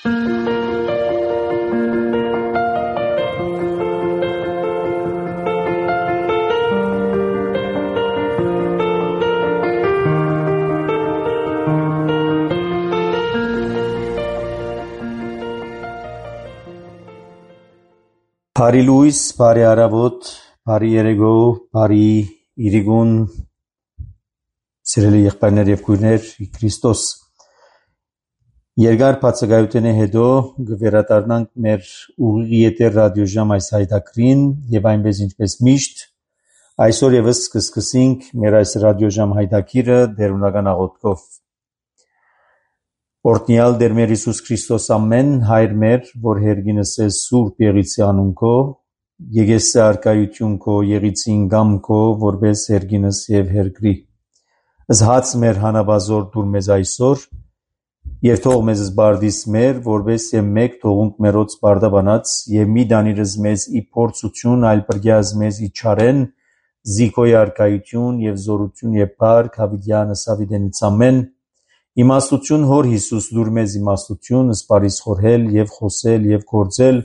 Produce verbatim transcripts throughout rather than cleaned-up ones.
Բարի լույս, բարի առավոտ, բարի երեկո, բարի իրիկուն, սիրելի եղբայրներ և քույրներ, Քրիստոս երկար բացակայությունի հետո կվերադառնանք մեր ուղիղ եթեր ռադիոժամ այս հայտակրին և այնպես ինչպես միշտ այսօր ևս կսկսենք մեր այս ռադիոժամ հայտակիրը դերունական աղոթքով։ Օրհնյալ Տեր մեր Հիսուս Քրիստոս ամեն հայր մեր, որ հերգինս է սուրբ եղիցի անուն քո, եկեսե արկայություն քո, եղիցին գամ քո, որպես հերգինս և հերգրի։ Զհաց մեր հանաբազոր դուր մեզ այսօր, և թող մեզ զբարդիս մեր, որպես և մեկ թողունք մերոց բարդաբանած, և մի դանիրս մեզ ի փորձություն, այլ պրգյազ մեզ ի չարեն, զիքոյ արկայություն և զորություն և փառք հավիտյանս հավիտենից ամեն։ Իմաստություն հոր Հիսուս դուր մեզ իմաստություն, սպարիս խորհել և խոսել և գործել,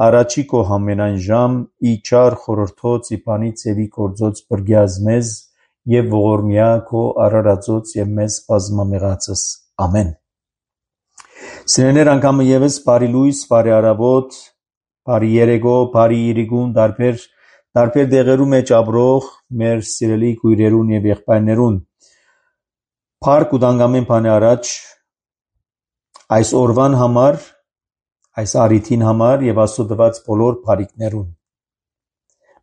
առաջի քո համենայն ժամ, ի չար խորհրդոց, ի բանից և ի գործոց պրգյազ մեզ, և ողորմյա քո արարածոց և մեզ բազմամեղածս։ Ամեն։ Սիրելիներ, անգամը ևս բարի լույս, բարի առավոտ, բարի երեկո, բարի իրիկուն, տարբեր տարբեր տեղերում մեջ ապրող մեր սիրելի քույրերուն և եղբայրներուն։ Փառք ու տանք ամեն բանի առաջ այս օրվան համար, այս առիթին համար և Աստծո տված բոլոր բարիքներուն։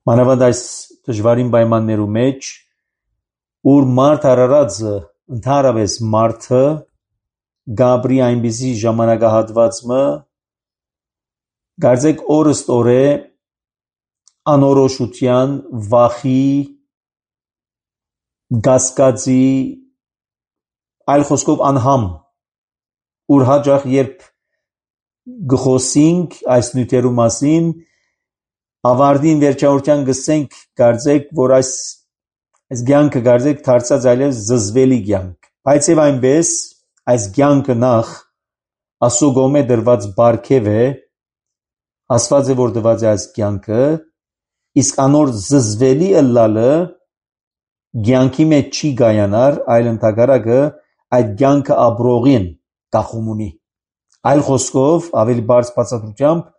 Մանավանդ այս դժվարին պայմաններու մեջ, ուր մարդ արարածը, ընդհանրապես մարդը գաբրի այնպիսի ժամանակահատվածը, կարծեք օրըստ օրե անորոշության, վախի, կասկածի, այլ խոսքով անհամ, ուր հաճախ երբ գխոսենք այս նյութերու մասին, ավարտին վերջավորության գսենք, կարծեք, որ այս այս կյանքը կարծեք դարձած այլև զզվելի կյանք, բայց եւ այնպես այս կյանքը նախ Աստծո կողմէ դրված բարգև է, ասված է որ դված է այս կյանքը, իսկ անոր զզվելի ըլլալը կյանքի մեջ չի գայանար, այլ ընդհակառակը այդ կյանքը ապրողին կախում ունի։ Այլ խոսքով, ավելի բարձ բացատրությամբ,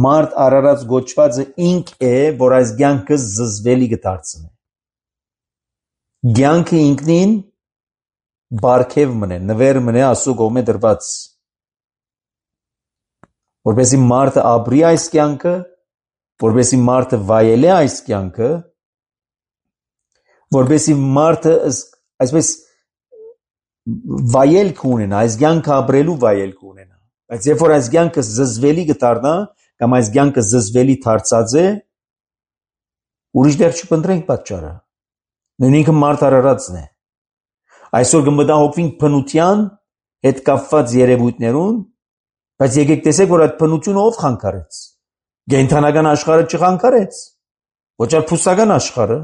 մարդ արարած գոչվածը ինք է, որ այս կյանքը զզվելի կդարձնի։ Կյանքը ինքնին բարգև մնե, նվեր մնե Աստծո կողմէ դրված, որպեսզի մարդը ապրի այս կյանքը, որպեսզի մարդը վայելի այս կյանքը, որպեսզի մարդը այսպես վայելք ունենա, այս կյանքը ապրելու վայելք ունենա։ Բայց երբ որ այս կյանքը զզվելի կդառնա, կամ այս կյանքը զզվելի դարձած է, ուրիշ դեռ չփնտրենք պատճառը։ Նույնիսկ մարդ արարածն է։ Այսօր կմտահոգվենք բնության հետ կապված երևույթներուն, բայց եկեք տեսեք, որ այդ բնությունը ով խանգարեց։ Կենդանական աշխարհը չխանգարեց, ոչ էլ փուսական աշխարհը։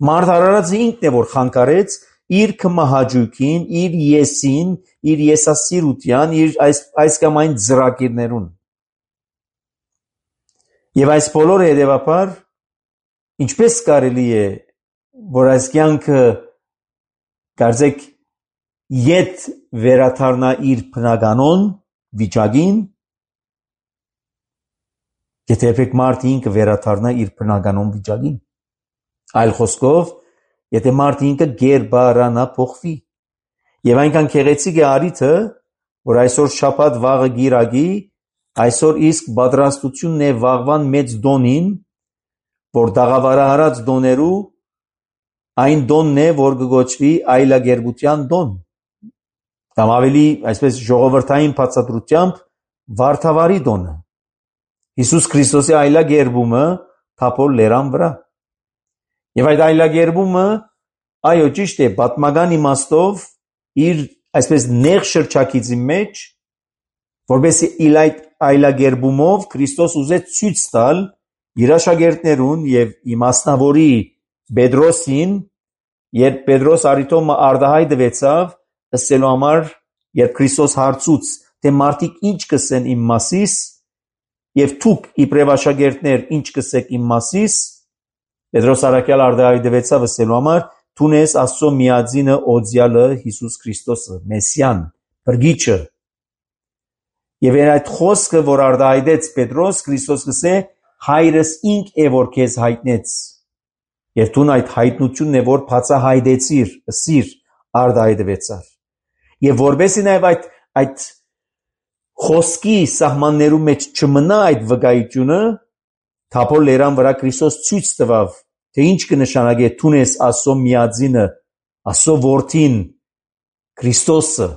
Մարդ արարածը ինքն է, որ խանգարեց իր կմահաճույքին, իր եսին, իր եսասիրության, իր այս այս կամ այն ծրագիրներուն։ Եվ այս բոլորը հետևաբար ինչպես կարելի է, որ այս կյանքը կարծեք ետ վերադառնա իր բնականոն վիճակին, եթե երբեք մարդը ինքը վերադառնա իր բնականոն վիճակին։ Այլ խոսքով, եթե մարդը ինքը գերբարանա փոխվի։ Եվ այնքան քեղեցիկ է արիթը, որ այսօր շաբաթ վաղը գիրակի, այսօր իսկ պատրաստությունն է վաղվան մեծ դոնին, որ դաղավարահարած դոներու այն դոնն է, որ կգոչվի այլագերբության դոն, կամ ավելի այսպես ժողովրդային բացատրությամբ վարդավարի դոնը։ Հիսուս Քրիստոսի այլագերբումը Թափոր լերան վրա։ Եվ այդ այլագերբումը, այո, ճիշտ է, պատմական իմաստով իր այսպես նեղ շրջակիցի մեջ, որպեսզի իր այդ այլագերբումով Քրիստոս ուզեց ցույց տալ իր աշակերտներուն եւ իմաստնավորի Պետրոսին, երբ Պետրոս արիթոմը արդահայտվեցավ, ըսելու համար, երբ Քրիստոս հարցուց թե մարդիկ ինչ կսեն իմ մասիս, եւ դուք իբրև աշակերտներ ինչ կսեք իմ մասիս, Պետրոս առաքյալ արտահայտվեցավ ասելու համար, դու ես Աստծո միածինը օձյալը Հիսուս Քրիստոսը, Մեսիան, Բրգիչը։ Եվ այդ խոսքը, որ արտահայտեց Պետրոս, Քրիստոս գսե, հայրս ինք է որ քեզ հայտնեց։ Եվ դու այդ հայտնությունն է որ բացահայտեցիր, ըսիր արտահայտվեցար։ Եվ որբեսի նաև այդ այդ խոսքի սահմաններու մեջ չմնա այդ վկայությունը, Թափոր լերան վրա Քրիստոս ցույց տվավ, թե ինչ կնշանակե դու ես Աստծո միածինը, Աստծո որդին, Քրիստոսը։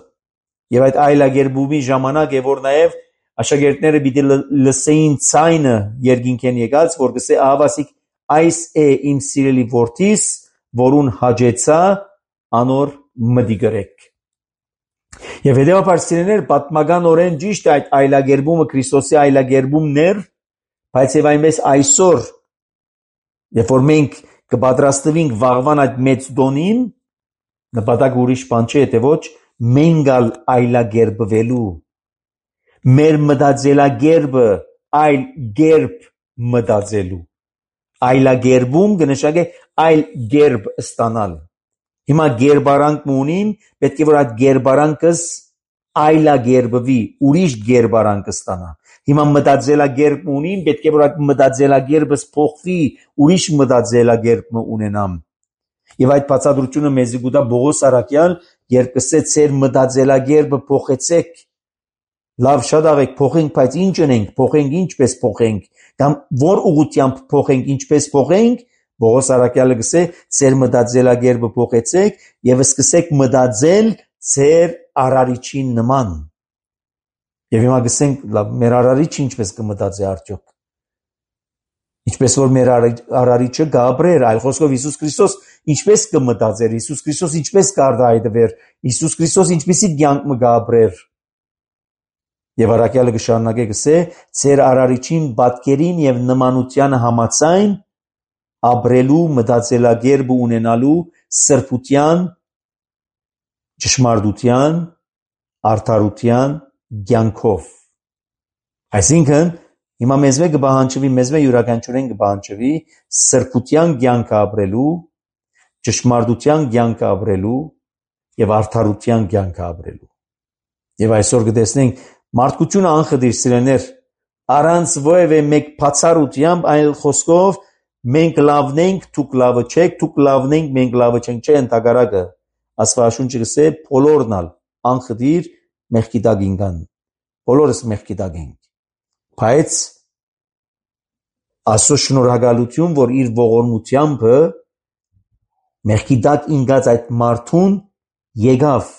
Եվ այդ այլագերբումի ժամանակ է որ նաև աշակերտները պիտի լսեին ցայնը երկինքեն եկած, որ գսե ահավասիկ այս է իմ սիրելի որդիս, որուն հաջեցա անոր մտի գրեք։ Եվ հետևաբար սիրելիներ, պատմականորեն ճիշտ է այդ այլագերբումը Քրիստոսի այլագերբումներ, բայց եւ այնպես այսօր, երբ որ մենք կպատրաստվենք վաղվան այդ մեծ դոնին, նպատակ ուրիշ բան չէ, թե ոչ մենք ալ այլագերբվելու, մեր մտածելագերբը այլ գերբ մտածելու, այլագերբում կնշանակե այլ գերբ ստանալ։ Հիմա գերբարանք ունին, պետք է որ այդ գերբարանքս այլագերբվի, ուրիշ գերբարանք ստանա։ Հիմա մտածելագերբ ունին, պետք է որ այդ մտածելագերբս փոխվի, ուրիշ մտածելագերբ ունենամ։ Եվ այդ բացատրությունը մեզ գուտա Պողոս առաքյալ, երբ կսե ծեր մտածելագերբը փոխեցեք, լավ շատ աղեք փոխենք, բայց ինչ ունենք, փոխենք ինչպես փոխենք, կամ որ ուղղությամբ փոխենք, ինչպես փոխենք, Պողոս առաքյալը գսե ծեր մտածելագերբը փոխեցեք եւ սկսեք մտածել ծեր արարիչին նման։ Եվ հիմա գսենք, լավ, մեր արարիչը ինչպես կմտածի արդյոք։ Ինչպես որ մեր արարիչը գաբրեր, այլ խոսքով Հիսուս Քրիստոս ինչպես կմտածեր, Հիսուս Քրիստոս ինչպես կարտահայտվեր, Հիսուս Քրիստոս ինչպեսի կյանք մը գաբրեր։ Եվ առաքյալը կշարունակե գսե, ծեր արարիչին պատկերին եւ նմանությանը համաձայն ապրելու մտածելագերբը ունենալու սրբության, ճշմարտության, արդարության կյանքով։ Այսինքն հիմա մեզ մե կբահանջվի, մեզ մե յուրաքանչյուրին կբահանջվի սրբության կյանք ապրելու, ճշմարտության կյանք ապրելու եւ արդարության կյանք ապրելու։ Եվ այսօր կտեսնենք մարդկությունը անխտիր սիրելիներ, առանց ովևէ մեկ բացառությամբ, այլ խոսքով մենք լավն ենք, դուք լավը չեք, դուք լավն ենք, մենք լավը չենք, չէ ընդհակառակը։ Աստվածաշունչը գսե բոլորն ալ անխտիր մեղքի տակ ինքան։ Բոլորս մեղքի տակ ենք։ Բայց Աստծո շնորհակալություն, որ իր ողորմությամբ մեղքի տակ ինքած այդ մարդուն եկավ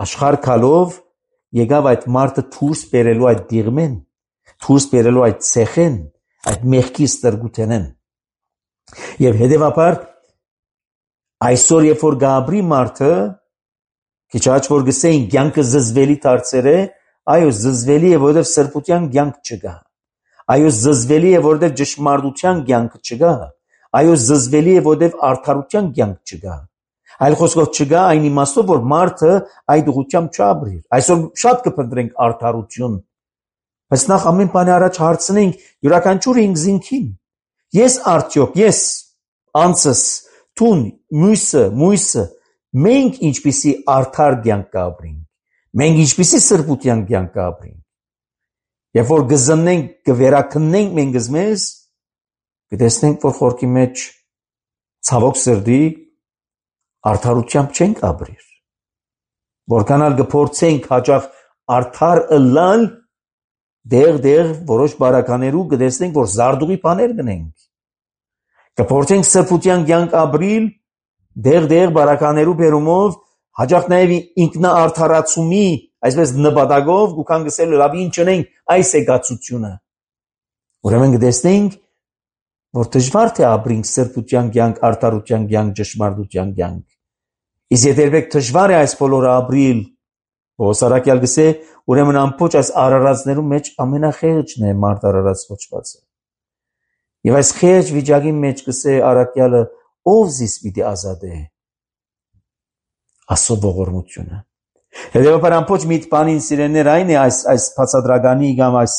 աշխարհ քալով, եկավ այդ մարդը դուրս բերելու այդ դիղմեն, դուրս բերելու այդ ցեխեն, այդ մեղքի ստրգութենեն։ Եվ հետևաբար այսօր երբ որ գաբրի մարդը քիչ աճ որ գսեին կյանքը զզվելի դարձեր է, այո զզվելի է որովհետև սրբության կյանք չկա, այո զզվելի է որովհետև ճշմարտության կյանք չկա, այո զզվելի է որովհետև արդարության կյանք չկա, այլ խոսքով չկա այն իմաստով որ մարդը այդ ուղղությամբ չապրի։ Այսօր շատ կփնտրենք արդարություն, բայց նախ ամեն բանի առաջ հարցնենք յուրաքանչյուրը ինքն զինքին, ես արդյոք ես անցս տուն մույսը մույսը մենք ինչպիսի արդար կյանք կապրենք, մենք ինչպիսի սրբության կյանք կապրենք։ Երբ որ գզնենք, կվերաքննենք մենք մեզ, կտեսնենք, որ խորքի մեջ ցավոք սրտի արդարությամբ չենք ապրիր։ Որքանալ կփորձենք հաճախ արդար ըլլալ, դեղ-դեղ որոշ բարականերու կտեսնենք, որ զարդուղի բաներ գնենք։ Կփորձենք սրբության կյանք ապրիլ, դեղ-դեղ բարականերու բերումով, հաճախ նաև ինքնաարդարացումի, այսպես նպատակով, գուքան գսել լավ ինչ ունենք այս է գացությունը։ Ուրեմն կտեսնենք, որ դժվար թե ապրենք սրբության կյանք, արդարության կյանք, ճշմարտության կյանք։ Իսկ եթե երբեք դժվար է այս բոլորը ապրիլ, Պողոս առաքյալ գսե, ուրեմն ամբողջ այս արարածներու մեջ ամենախեղճն է մարդ արարած կոչվածը։ Եվ այս խեղճ վիճակի մեջ գսե առաքյալը, ով զիս պիտի ազատե։ Աստծո ողորմությունը։ Հետևաբար ամբողջ միտքանին սիրելիներ այն է այս այս բացադրականի կամ այս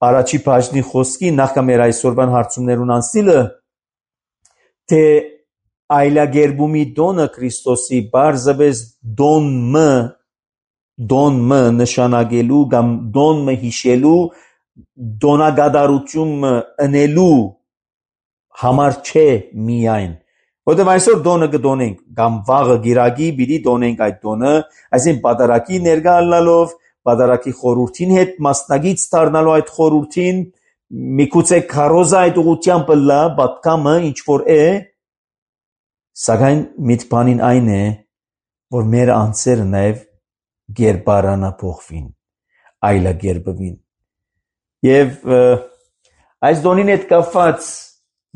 առաջի բաժնի խոսքի նախքան մեր այսօրվան հարցումներուն անցնելը թե այլագերբումի դոնը Քրիստոսի բարձրապես դոնը դոնը նշանակելու կամ դոնը հիշելու դոնագադարությունը ընելու համար չէ միայն որտեղ այսօր դոնը կդոնենք կամ վաղը գիրագի պիտի դոնենք այդ դոնը այսինքն պատարակի ներկա ալնալով պատարակի խորհրդին հետ մասնագից դառնալու այդ խորհրդին միգուցե քարոզա այդ ուղղությամբ լա պատկամը ինչ որ է սակայն միտքանին այն է որ մեր անձերը նաև գերբարանա փոխվին այլագերբվին եւ այս դոնին հետ կապված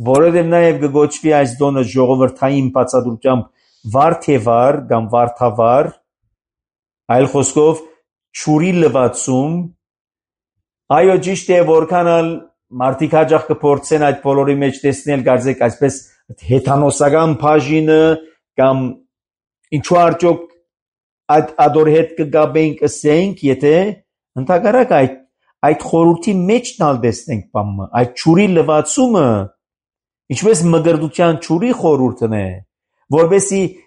որովհետև նաև կգոչվի այս դոնը ժողովրդային բացատրությամբ վարդեվար կամ վարդավար այլ խոսքով ճուրի լվացում այո ճիշտ է որքան ալ մարդիկ հաջող կփորձեն այդ բոլորի մեջ տեսնել կարծեք այսպես հեթանոսական բաժինը կամ ինչու արդյոք այդ ադոր հետ կգաբենք ասենք եթե ընդհակառակ այդ այդ խորհրդի մեջ նալ տեսնենք բամը այդ ճուրի լվացումը ինչպես մգրդության ճուրի խորհուրդն է որովհետեւ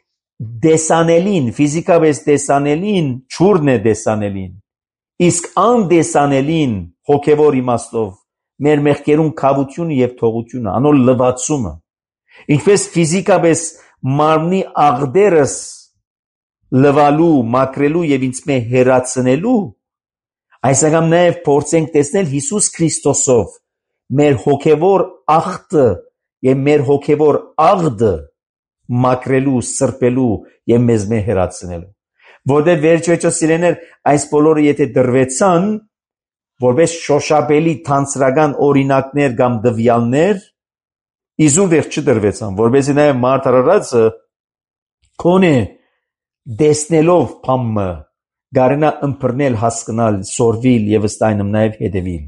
դեսանելին ֆիզիկապես դեսանելին ճուրն է դեսանելին իսկ անդեսանելին հոգևոր իմաստով մեր մեղքերուն քավությունը եւ թողությունը անոր լվացումը ինչպես ֆիզիկապես մարմնի աղդերս լվալու մակրելու եւ ինձ մե հերացնելու այսակամ նաեւ փորձենք տեսնել Հիսուս Քրիստոսով մեր հոգևոր աղդը եւ մեր հոգևոր աղդը մակրելու սրբելու եւ մեզ մե հերացնելու որտեղ վերջեջո սիրեներ այս բոլորը եթե դրվեցան որպես շոշափելի թանցրական օրինակներ կամ դվյալներ իզուր վերջ չդրվեցան որովհետեւ նաեւ մարդ արարածը կոնե դեսնելով փամը գարնա ըմբռնել հասկանալ սորվիլ եւ ըստայնում նաեւ հետևիլ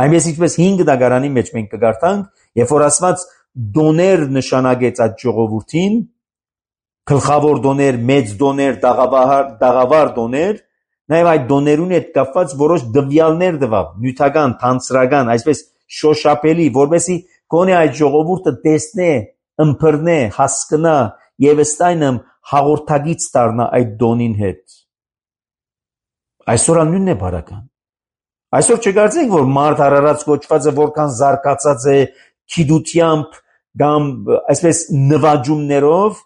այնպես ինչպես հինգ դագարանի մեջ մենք կգարտանք երբ որ ասված դոներ նշանակեց այդ ժողովրդին գլխավոր դոներ մեծ դոներ դաղավար դաղավար դոներ նաեւ այդ դոներուն հետ կապված որոշ դվյալներ տվավ նյութական թանցրական այսպես շոշափելի որովհետեւ կոնե այդ ժողովուրդը տեսնե ըմբռնե հասկանա եւ ըստայնում հաղորդագից դառնա այդ դոնին հետ այսօր անունն է բարական այսօր չգարձենք որ մարդ արարած կոչվածը որքան զարգացած է քիդությամբ կամ այսպես նվաճումներով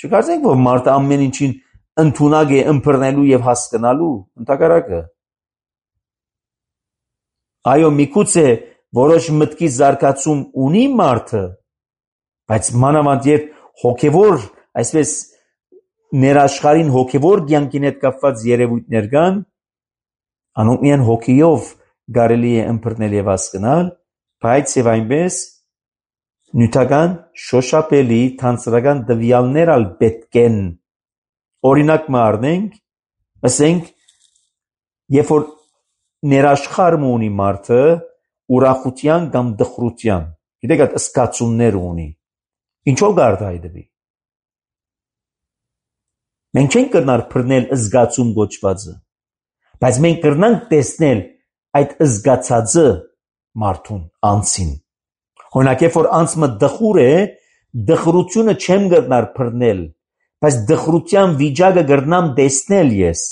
չգարձենք որ մարդը ամեն ինչին ընդունակ է ըմբռնելու եւ հասկանալու ընդհակառակը այո միգուցե որոշ մտքի զարգացում ունի մարդը բայց մանավանդ երբ հոգևոր այսպես ներաշխարհին հոգևոր կյանքին հետ կապված երևույթներ կան անոնք միայն հոգիով կարելի է ըմբռնել եւ հասկանալ բայց եւ այնպես նյութական շոշափելի թանցրական դվյալներ ալ պետք են օրինակ մը առնենք ասենք երբ որ ներաշխարհ ունի մարդը ուրախության կամ դխրության գիտեք այդ սկացումներ ունի ինչով գարտայդվի մենք չենք կրնար բռնել զգացում գոչվածը բայց մենք կրնանք տեսնել այդ զգացածը մարդուն անցին օրինակ երբ որ անցը դխուր է դխրությունը չեմ կրնար բռնել բայց դխրության վիճակը կրնամ տեսնել ես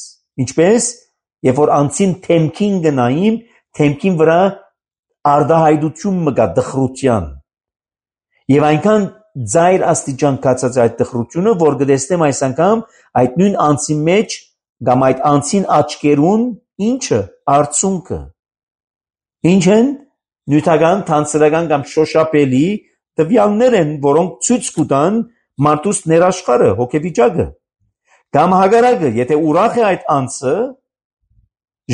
ինչպես երբ որ անցին թեմքին գնայիմ թեմքին վրա արդահայտություն մգա դխրության եւ այնքան ձայր աստիճան կացած այդ դխրությունը որ կտեսնեմ այս անգամ այդ նույն անցի մեջ կամ այդ անցին աչքերուն ինչը արցունքը ինչ են նյութական թանցրական կամ շոշափելի տվյալներ են որոնք ցույց կտան մարդուս ներաշխարհը հոգեվիճակը կամ հագարակը եթե ուրախ է այդ անցը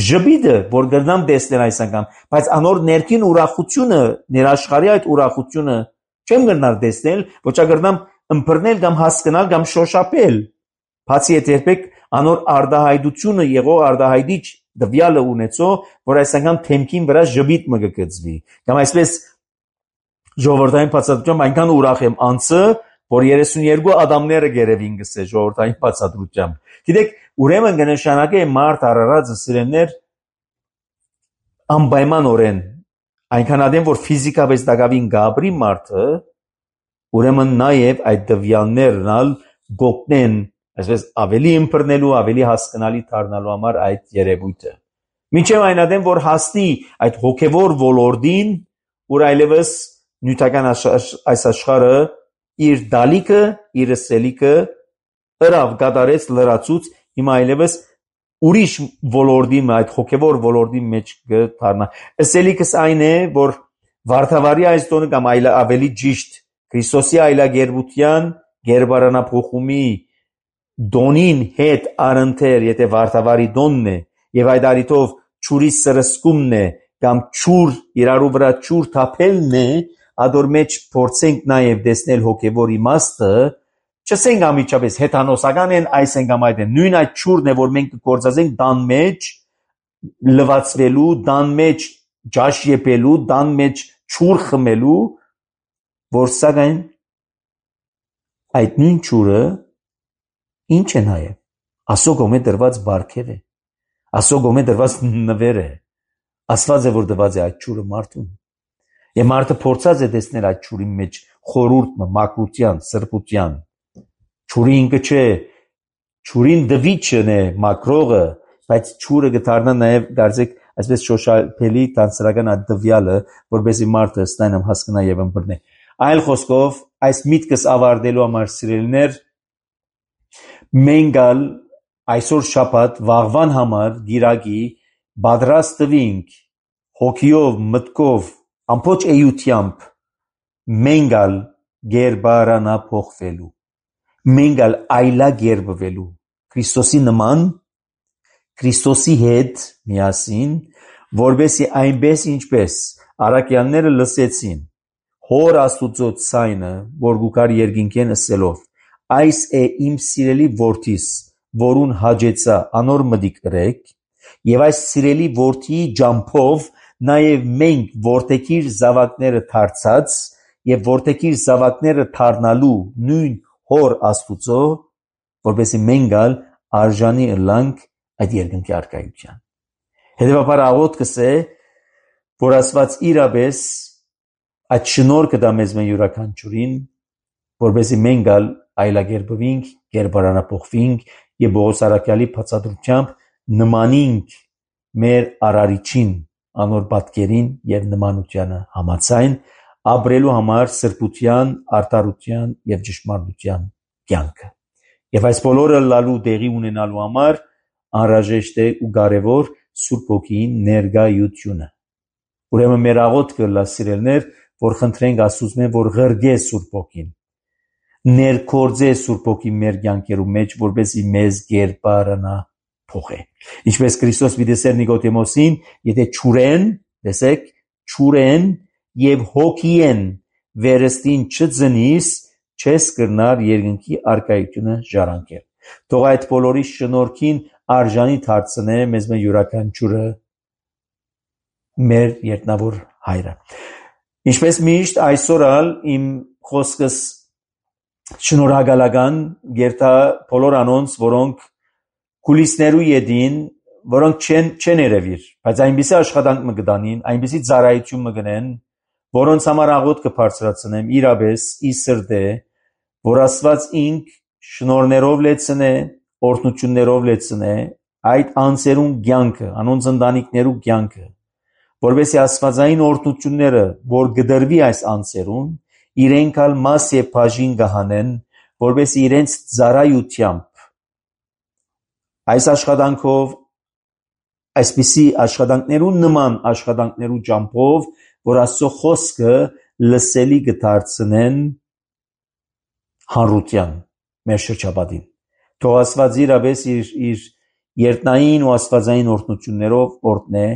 ժբիդը որ գտնամ տեսնել այս անգամ բայց անոր ներքին ուրախությունը ներաշխարհի այդ ուրախությունը չեմ գտնար տեսնել ոչ ագրնամ ըմբռնել կամ հասկանալ կամ շոշափել բացի այդ երբեք անոր արդահայտությունը եղող արդահայտիչ դվյալը ունեցող որ այս անգամ թեմքին վրա ժբիտ մգկծվի կամ այսպես ժողովրդային բացատրությամբ այնքան ուրախ եմ անցը որ երեսունյերկու ադամները գերևին գսե ժողովրդային բացատրությամբ։ Գիտեք, ուրեմն կնշանակե մարդ արարածը սիրելներ անպայմանորեն այնքան ադեմ որ ֆիզիկապես դակավին գաբրի մարդը, ուրեմն նաև այդ դվյալներն ալ գոտնեն, այսպես ավելի ըմբռնելու, ավելի հասկանալի դառնալու համար այդ երևույթը։ Մինչև այն ադեմ որ հասնի այդ հոգևոր ոլորտին, որ այլևս նյութական այս աշխարհը իր դալիքը, իր սելիքը ըրավ կատարեց լրացուց, հիմա այլևս ուրիշ ոլորտի, այդ հոգևոր ոլորտի մեջ կդառնա։ Սելիքս այն է, որ վարդավարի այս տոնը կամ այլ ավելի ճիշտ Քրիստոսի այլագերբության գերբարանափոխումի դոնին հետ առընթեր, եթե վարդավարի դոնն է, եւ այդ արիտով ճուրի սրսկումն է կամ ճուր իրարու վրա ճուր թափելն է, ադոր մեջ փորձենք նաև տեսնել հոգևոր իմաստը, չսենք ամիջապես հեթանոսական են այս են կամ այդ են, նույն այդ ճուրն է, որ մենք կգործածենք դան մեջ լվացվելու, դան մեջ ջաշ եփելու, դան մեջ ճուր խմելու, որ սակայն այդ նույն ճուրը ինչ է նաև Աստծո կողմէ դրված բարգև է, Աստծո կողմէ դրված նվեր է, ասված է որ դված է այդ ճուրը մարդուն, եւ մարդը փորձած է տեսնել այդ ճուրի մեջ խորուրդը, մակրության, սրբության, ճուրի ինքը չէ, ճուրին դվիճն է մակրողը, բայց ճուրը կդառնա նաև դարձեք այսպես շոշափելի տանսրական այդ դվյալը, որբեսի մարդը ստանամ հասկանա եւ ըմբռնե։ Այլ խոսքով, այս միտքս ավարտելու համար սիրելիներ, մենք ալ այսօր շաբաթ վաղվան համար գիրակի պատրաստ տվինք հոգիով, մտքով, ամբողջ էությամբ մենք ալ գերբարանափոխվելու, մենք ալ այլագերբվելու Քրիստոսի նման, Քրիստոսի հետ միասին, որբեսի այնպես ինչպես առաքյալները լսեցին Հոր Աստուծո ցայնը, որ գուկար երկինքեն ասելով, այս է իմ սիրելի որդիս, որուն հաջեցա անոր մտիկ կրեք, եւ այս սիրելի որդիի ջամփով նաև մենք որդեկիր զավակները դարձած եւ որդեկիր զավակները դառնալու նույն Հոր Աստուծո, որբեսի մենք ալ արժանի ըլլանք այդ երկնքի արքայության։ Հետևաբար աղոթքս է, որ Աստված իրապես այդ շնորհքը դա մեզ մեն յուրաքանչյուրին, որբեսի մենք ալ այլագերբվինք, գերբարանափոխվինք եւ Պողոս առաքյալի բացատրությամբ նմանինք մեր արարիչին, անոր պատկերին եւ նմանությանը համաձայն ապրելու համար սրբության, արդարության եւ ճշմարտության կյանքը։ Եվ այս բոլորը լալու տեղի ունենալու համար անհրաժեշտ է ու կարևոր Սուրբ Հոգին ներկայությունը։ Ուրեմն մեր աղոթքը լա սիրելներ, որ խնդրենք Աստծուց, որ ղրգե Սուրբ Հոգին, ներկործե Սուրբ Հոգի մեր կյանքերու մեջ, որպեսզի մեզ գերբարանա փոխե։ Ինչպես Քրիստոս վիդեսեր Նիկոդեմոսին, եթե ճուրեն, տեսեք, ճուրեն եւ հոգիեն վերստին չծնիս, չես կրնար երկնքի արքայությունը ժառանգել։ Թող այդ բոլորի շնորհքին արժանի դարձնե մեզ մեր յուրաքանչյուրը մեր երկնավոր հայրը։ Ինչպես միշտ այսօր ալ իմ խոսքս շնորհակալական գերտա բոլոր անոնց, որոնք կուլիսներու յետին, որոնք չեն չեն երևիր, բայց այնպիսի աշխատանք մը գտանին, այնպիսի ծառայություն մը գնեն, որոնց համար աղոթք կբարձրացնեմ իրապես ի սրտե, որ Աստված ինք շնորհներով լեցնե, օրհնություններով լեցնե այդ անձերուն կյանքը, անոնց ընտանիքներու կյանքը, որովհետեւ աստվածային օրհնությունները, որ գդրվի այս անձերուն, իրենք ալ մաս եւ բաժին կհանեն, որովհետեւ իրենց ծառայությամբ այս աշխատանքով, այսպիսի աշխատանքներու նման աշխատանքներու ճամփով, որ Աստծո խոսքը լսելի կդարձնեն հանրության մեր շրջապատին։ Թող Աստված իրապես իր իր երտնային ու աստվածային օրհնություններով օրհնե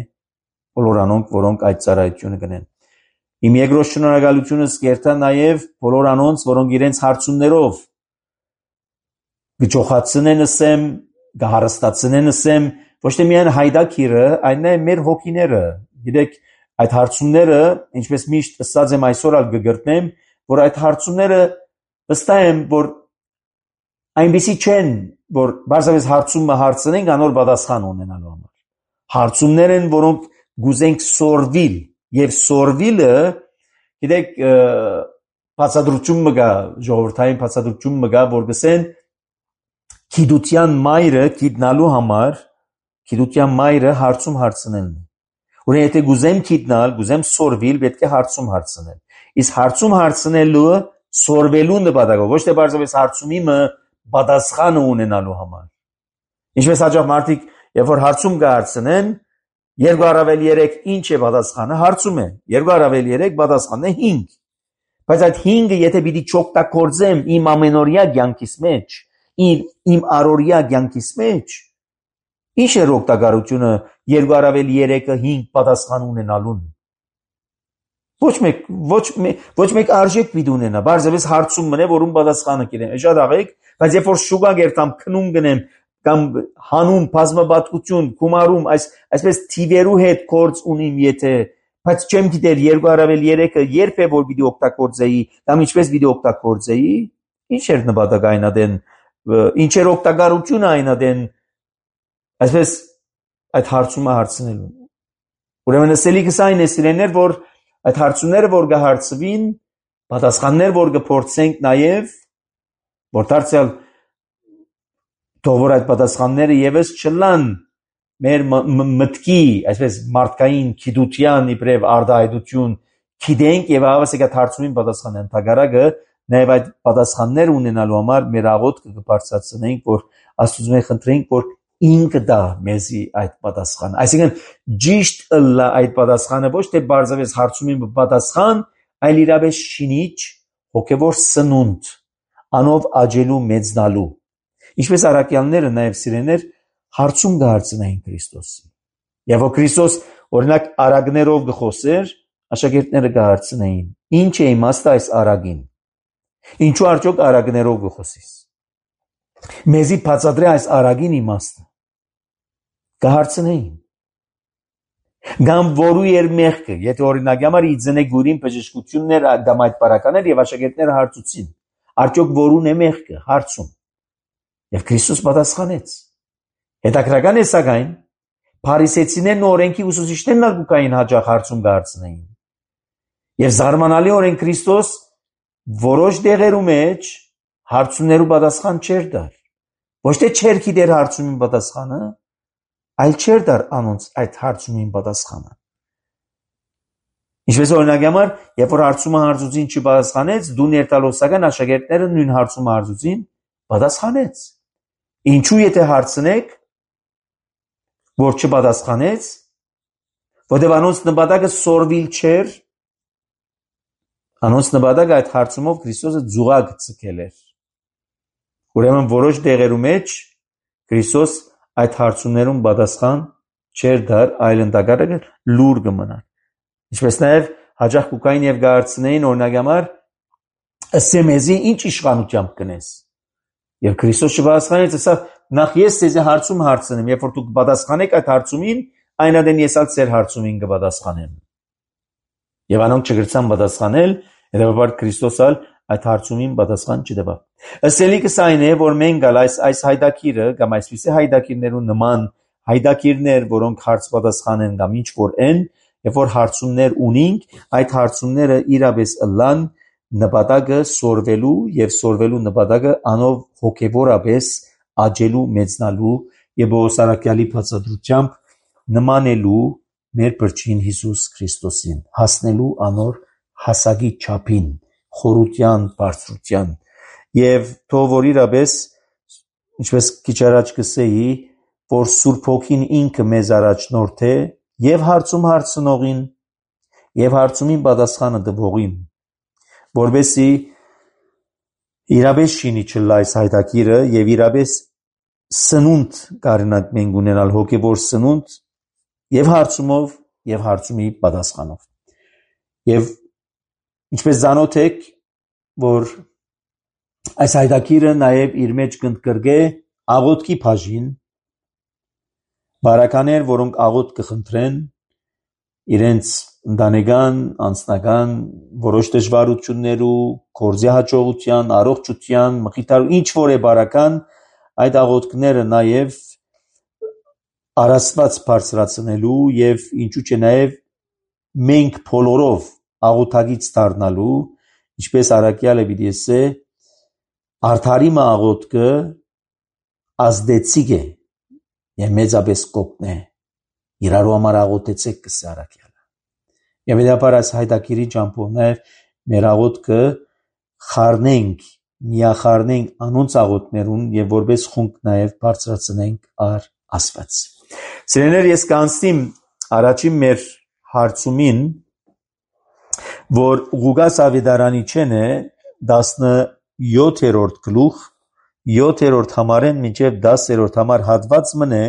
բոլոր անոնք, որոնք այդ ծառայությունը կնեն։ Իմ երկրորդ շնորհակալությունս կերտա նաև բոլոր անոնց, որոնք իրենց հարցումներով գճոխացնեն ասեմ, գահարստացնեն ասեմ, ոչ թե միայն հայդակիրը, այլ նաև մեր հոգիները։ Գիտեք, այդ հարցումները, ինչպես միշտ ասած եմ այսօր ալ կգրտնեմ, որ այդ հարցումները վստահ եմ, որ այնպեսի չեն, որ բարձրապես հարցումը հարցնենք, անոր պատասխան ունենալու համար։ Հարցումներ են, որոնք գուզենք սորվիլ, եւ սորվիլը, գիտեք, բացատրություն մգա, ժողովրդային բացատրություն մգա, որ գսեն գիտության մայրը գիտնալու համար, գիտության մայրը հարցում հարցնելն է։ Ուրեմն եթե գուզեմ գիտնալ, գուզեմ սորվիլ, պետք է հարցում հարցնել։ Իսկ հարցում հարցնելը սորվելու նպատակով, ոչ թե բարձրապես հարցումիմը պատասխանը ունենալու համար։ Ինչպես հաջող մարդիկ, երբ որ հարցում կհարցնեն, երկու առավել երեք ինչ է պատասխանը, հարցում է։ Երկու առավել երեք պատասխանն է հինգ։ Բայց այդ հինգը եթե պիտի չօգտագործեմ իմ ամենօրյա կյանքիս մեջ, իմ իմ առօրյա կյանքիս մեջ, ինչ է օգտակարությունը երկու առավել երեքը հինգ պատասխան ունենալուն։ Ոչ մեկ, ոչ մեկ, ոչ մեկ արժեք պիտի ունենա, բարձրապես հարցում մնե, որում պատասխանը կերեմ։ Շատ աղեք, բայց երբ որ շուկա գերտամ քնում գնեմ կամ հանում բազմապատկություն, գումարում, այս այսպես թիվերու հետ կորց ունիմ, եթե, բայց չեմ գիտեր երկու առավել երեքը երբ է որ պիտի օգտագործեի, կամ ինչպես պիտի օգտագործեի, ինչ էր նպատակը այնադեն, ինչ էր օգտակարությունը այնադեն, այսպես այդ հարցումը հարցնելու։ Ուրեմն ասելիքս այն է սիրեներ, որ այդ հարցումները, որ կհարցվին, պատասխաններ, որ կփորձենք նաև, որ դարձյալ թող որ այդ պատասխանները եւս չլան մեր մտքի, այսպես մարդկային գիտության իբրև արտահայտություն, գիտենք եւ հավասարի հարցումին պատասխան ընդհանրակը, նաև այդ պատասխաններ ունենալու համար մեր աղոթքը կբարձրացնենք, որ Աստծուց խնդրենք, որ ինքը դա մեզի այդ պատասխան։ Այսինքն ճիշտ լա այդ պատասխանը ոչ թե բարձրապես հարցումին պատասխան, այլ իրապես շինիչ հոգևոր սնունդ, անով աճելու մեծնալու։ Ինչպես առաքյալները նաև սիրեներ հարցում կհարցնային Քրիստոսի։ Եվ որ Քրիստոս օրինակ արագներով գխոսեր, աշակերտները կհարցնեին. ինչ է իմաստը այս արագին։ Ինչու արդյոք արագներով գխոսիս։ Մեզի բացատրե այս արագին իմաստը։ Կհարցնեին։ Գամ որու էր մեղքը, եթե օրինակ համար իձնե գուրին բժշկություններ կամ այդ բարականներ եւ աշակերտները հարցուցին, արդյոք որուն է մեղքը, հարցում։ Եվ Քրիստոս պատասխանեց։ Հետաքրական է սակայն, փարիսեցիներն ու օրենքի ուսուցիչներն ալ գուկային հաջող հարցում կհարցնեին։ Եվ զարմանալիորեն Քրիստոս որոշ դեղերու մեջ հարցումներու պատասխան չէր դար։ Ոչ թե չէր գիտեր հարցումին պատասխանը, այլ չէր դար անոնց այդ հարցումին պատասխանը։ Ինչպես օրինակ համար, երբ որ հարցումը հարցուցին չպատասխանեց, դու ներտալոսական աշակերտները նույն հարցումը հարցուցին, պատասխանեց։ Ինչու եթե հարցնեք, որ չպատասխանեց, որտեղ անոնց նպատակը սորվիլ չէր, անոնց նպատակը այդ հարցումով Քրիստոսը ձուղակ ցկել էր։ Ուրեմն որոշ դեղերու մեջ Քրիստոս այդ հարցումներուն պատասխան չէր դար, այլ ընդհանրապես լուր կմնար։ Ինչպես նաև հաջող կուկային եւ գարցնեին օրինակ համար ասեմեզի ինչ իշխանությամբ կնես։ Եվ Քրիստոս չպատասխանեց, ասա նախ ես ձեզ հարցում հարցնեմ, երբ որ դուք պատասխանեք այդ հարցումին, այնադեն ես ալ ձեր հարցումին կպատասխանեմ։ Եվ անոնք չգրցան պատասխանել, հետեւաբար Քրիստոս ալ այդ հարցումին պատասխան չտվավ։ Ասելիքս այն է, որ մենք ալ այս այս հայդակիրը կամ այսպիսի հայդակիրներու նման հայդակիրներ, որոնք հարց պատասխանեն կամ ինչ որ են, երբ որ հարցումներ ունենք, այդ հարցումները իրապես ըլլան նպատակը սորվելու եւ սորվելու նպատակը անով հոգեվորապես աճելու մեծնալու եւ բոսարակյալի բացատրությամբ նմանելու մեր բրճին Հիսուս Քրիստոսին, հասնելու անոր հասակի չափին, խորության, բարձրության եւ թող որ իրապես ինչպես քիչ առաջ կսեի, որ Սուրբ Հոգին ինքը մեզ առաջնորդ է եւ հարցում հարցնողին եւ հարցումին պատասխանը տվողին, որբեսի իրապես շինի չլա այս հայտակիրը եւ իրապես սնունդ կարնակ մենք ունենալ հոգեվոր սնունդ եւ հարցումով եւ հարցումի պատասխանով։ Եվ ինչպես զանոթ եք, որ այս հայտակիրը նաեւ իր մեջ կընդգրկե աղոթքի բաժին, բարականեր, որոնք աղոթ կխնդրեն իրենց ընտանեկան, անձնական որոշ դժվարություններու, գործի հաջողության, առողջության, մխիթարու ինչ որ է բարական, այդ աղոթքները նաև առասված բարձրացնելու եւ ինչու՞ չէ նաև մենք բոլորով աղոթագից դառնալու, ինչպես Արաքյալը պիտի ասե, արդարի աղոթքը ազդեցիկ է եւ մեծապես կոպն է, իրարու համար աղոթեցեք կսե Արաքյալը։ Եվ հետապար այս հայտակիրի ճամփով նաև մեր աղոթքը խառնենք, միախառնենք անոնց աղոթքներուն եւ որպես խումբ նաև բարձրացնենք առ Աստված։ Սիրելիներ, ես կանցնիմ առաջին մեր հարցումին, որ Ղուկաս Ավետարանիչենը տասնյոթերորդ գլուխ, յոթերորդ համարեն մինչև դասերորդ համար հատված մնե,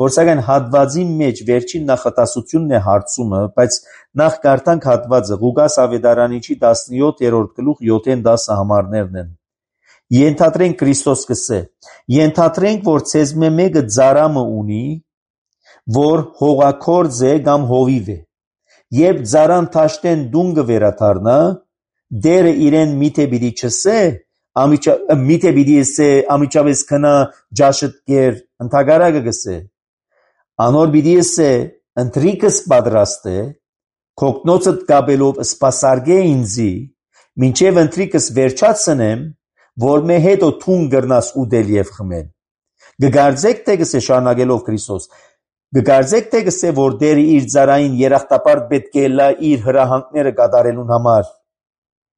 որ սակայն հատվածի մեջ վերջին նախատասությունն է հարցումը, բայց նախ կարդանք հատվածը Ղուկաս Ավետարանիչի տասնյոթերորդ գլուխ յոթեն դասը համարներն են։ Ենթադրենք Քրիստոս կսե, ենթադրենք, որ ցեզմե մեկը ծարամը ունի, որ հողաքորձ է կամ հովիվ է, երբ ծարան թաշտեն դուն կվերադառնա, դերը իրեն միթե պիտի չսե, միթե պիտի ասե ամիջապես քնա ջաշդ կեր, ընդհակառակը կսե, անոր պիտի ասե ընթրիքս պատրաստ է, քոկնոցդ կապելով սպասարկե ինձի, մինչև ընթրիքս վերջացնեմ, որ մե հետո թուն գրնաս ուդել եւ խմել։ Գգարձեք թե կսե շարունակելով Քրիստոս, գգարձեք թե կսե որ դերը իր ծարային երախտապարտ պետք է լա իր հրահանգները կատարելուն համար։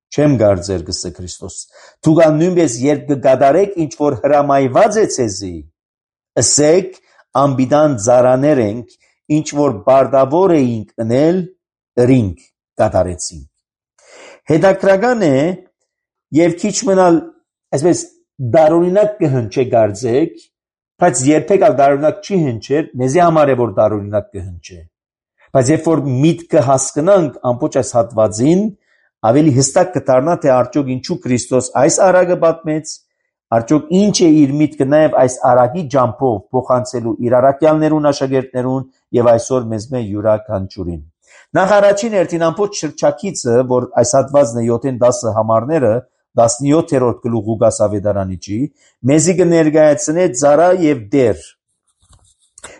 Չեմ գարձեր կսե Քրիստոս։ Դուք նույնպես երբ կկատարեք ինչ որ հրամայված է ցեզի, ասեք ամբիդան ծարաներ ենք, ինչ որ բարտավոր էինք ընել, ըրինք կատարեցինք։ Հետաքրական է եւ քիչ մնալ այսպես դարօրինակ կհնչե գարձեք, բայց երբեք ալ դարօրինակ չի հնչեր, մեզի համար է որ դարօրինակ կհնչե։ Բայց երբ որ միտքը հասկանանք ամբողջ այս հատվածին, ավելի հստակ կդառնա թե արդյոք ինչու Քրիստոս այս արագը պատմեց, արդյոք ինչ է իր միտքը նաև այս արագի ջամփով փոխանցելու իր առաքյալներուն, աշակերտներուն եւ այսօր մեզ մե յուրաքանչյուրին։ Նախ առաջին հերթին ամբողջ շրջակիցը, որ այս հատվածն է յոթեն դասը համարները, տասնյոթերորդ գլուխ Ղուկաս Ավետարանիչի, մեզի կներկայացնե ծառա եւ դեր։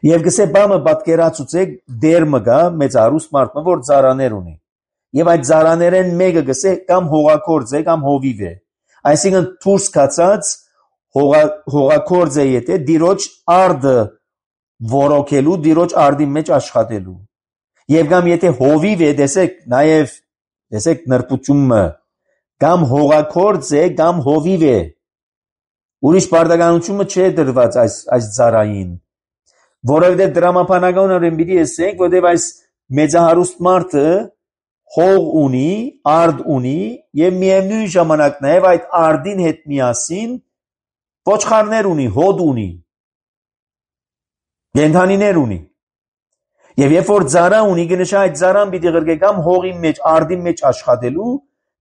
Եվ գսե բամը պատկերացուցեք դեր մը գա մեծ արուստ մարդը, որ ծառաներ ունի։ Եվ այդ ծառաներեն մեկը գսե կամ հողաքորձ է կամ հովիվ է։ Այսինքն դուրս կացած հողաքորձ է եթե դիրոջ արդը որոքելու, դիրոջ արդի մեջ աշխատելու։ Եվ կամ եթե հովիվ է, տեսեք նաև տեսեք նրբությունը, կամ հողաքորձ է կամ հովիվ է։ Ուրիշ պարտականությունը չէ դրված այս այս ծառային։ Որովհետև դրամապանականորեն պիտի ասենք, որովհետև այս մեծահարուստ մարդը հող ունի, արդ ունի եւ միևնույն ժամանակ նաեւ այդ արդին հետ միասին ոչխարներ ունի, հոդ ունի, գենթանիներ ունի։ Եվ երբ որ ծառա ունի, գնշա այդ ծառան պիտի գրկե կամ հողի մեջ, արդի մեջ աշխատելու,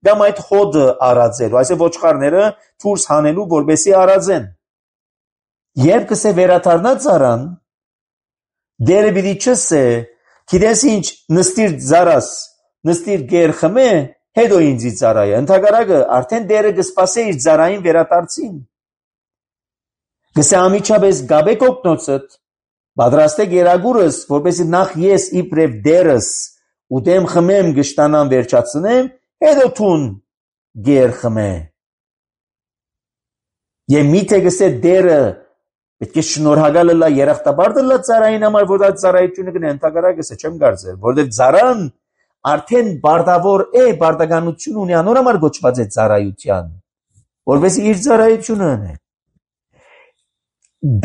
կամ այդ հոդը արածելու, այսինքն ոչխարները դուրս հանելու, որպեսզի արածեն։ Երբ կսե վերադառնա ծառան, դերը պիտի չսե, գիտես ինչ, նստիր ծառաս, նստիր գեր խմե, հետո ինձի ծառայը, ընդհակառակը արդեն դերը կսպասե իր ծառային վերադարձին։ Գսե ամիջապես գաբե կոկնոցդ, պատրաստե գերագուրս, որպեսզի նախ ես իբրև դերս ուտեմ խմեմ գշտանան վերջացնեմ, հետո թուն գեր խմե։ Եվ միթե գսե դերը պետք է շնորհակալ լա երախտապարտ լա ծառային համար, որ այդ ծառայությունը կնե, ընդհակառակը գսե չեմ կարծեր, որովհետև ծառան արդեն բարտավոր է, բարտականություն ունի, անոր համար գոչված է ծառայության, որպեսզի իր ծառայությունը անե։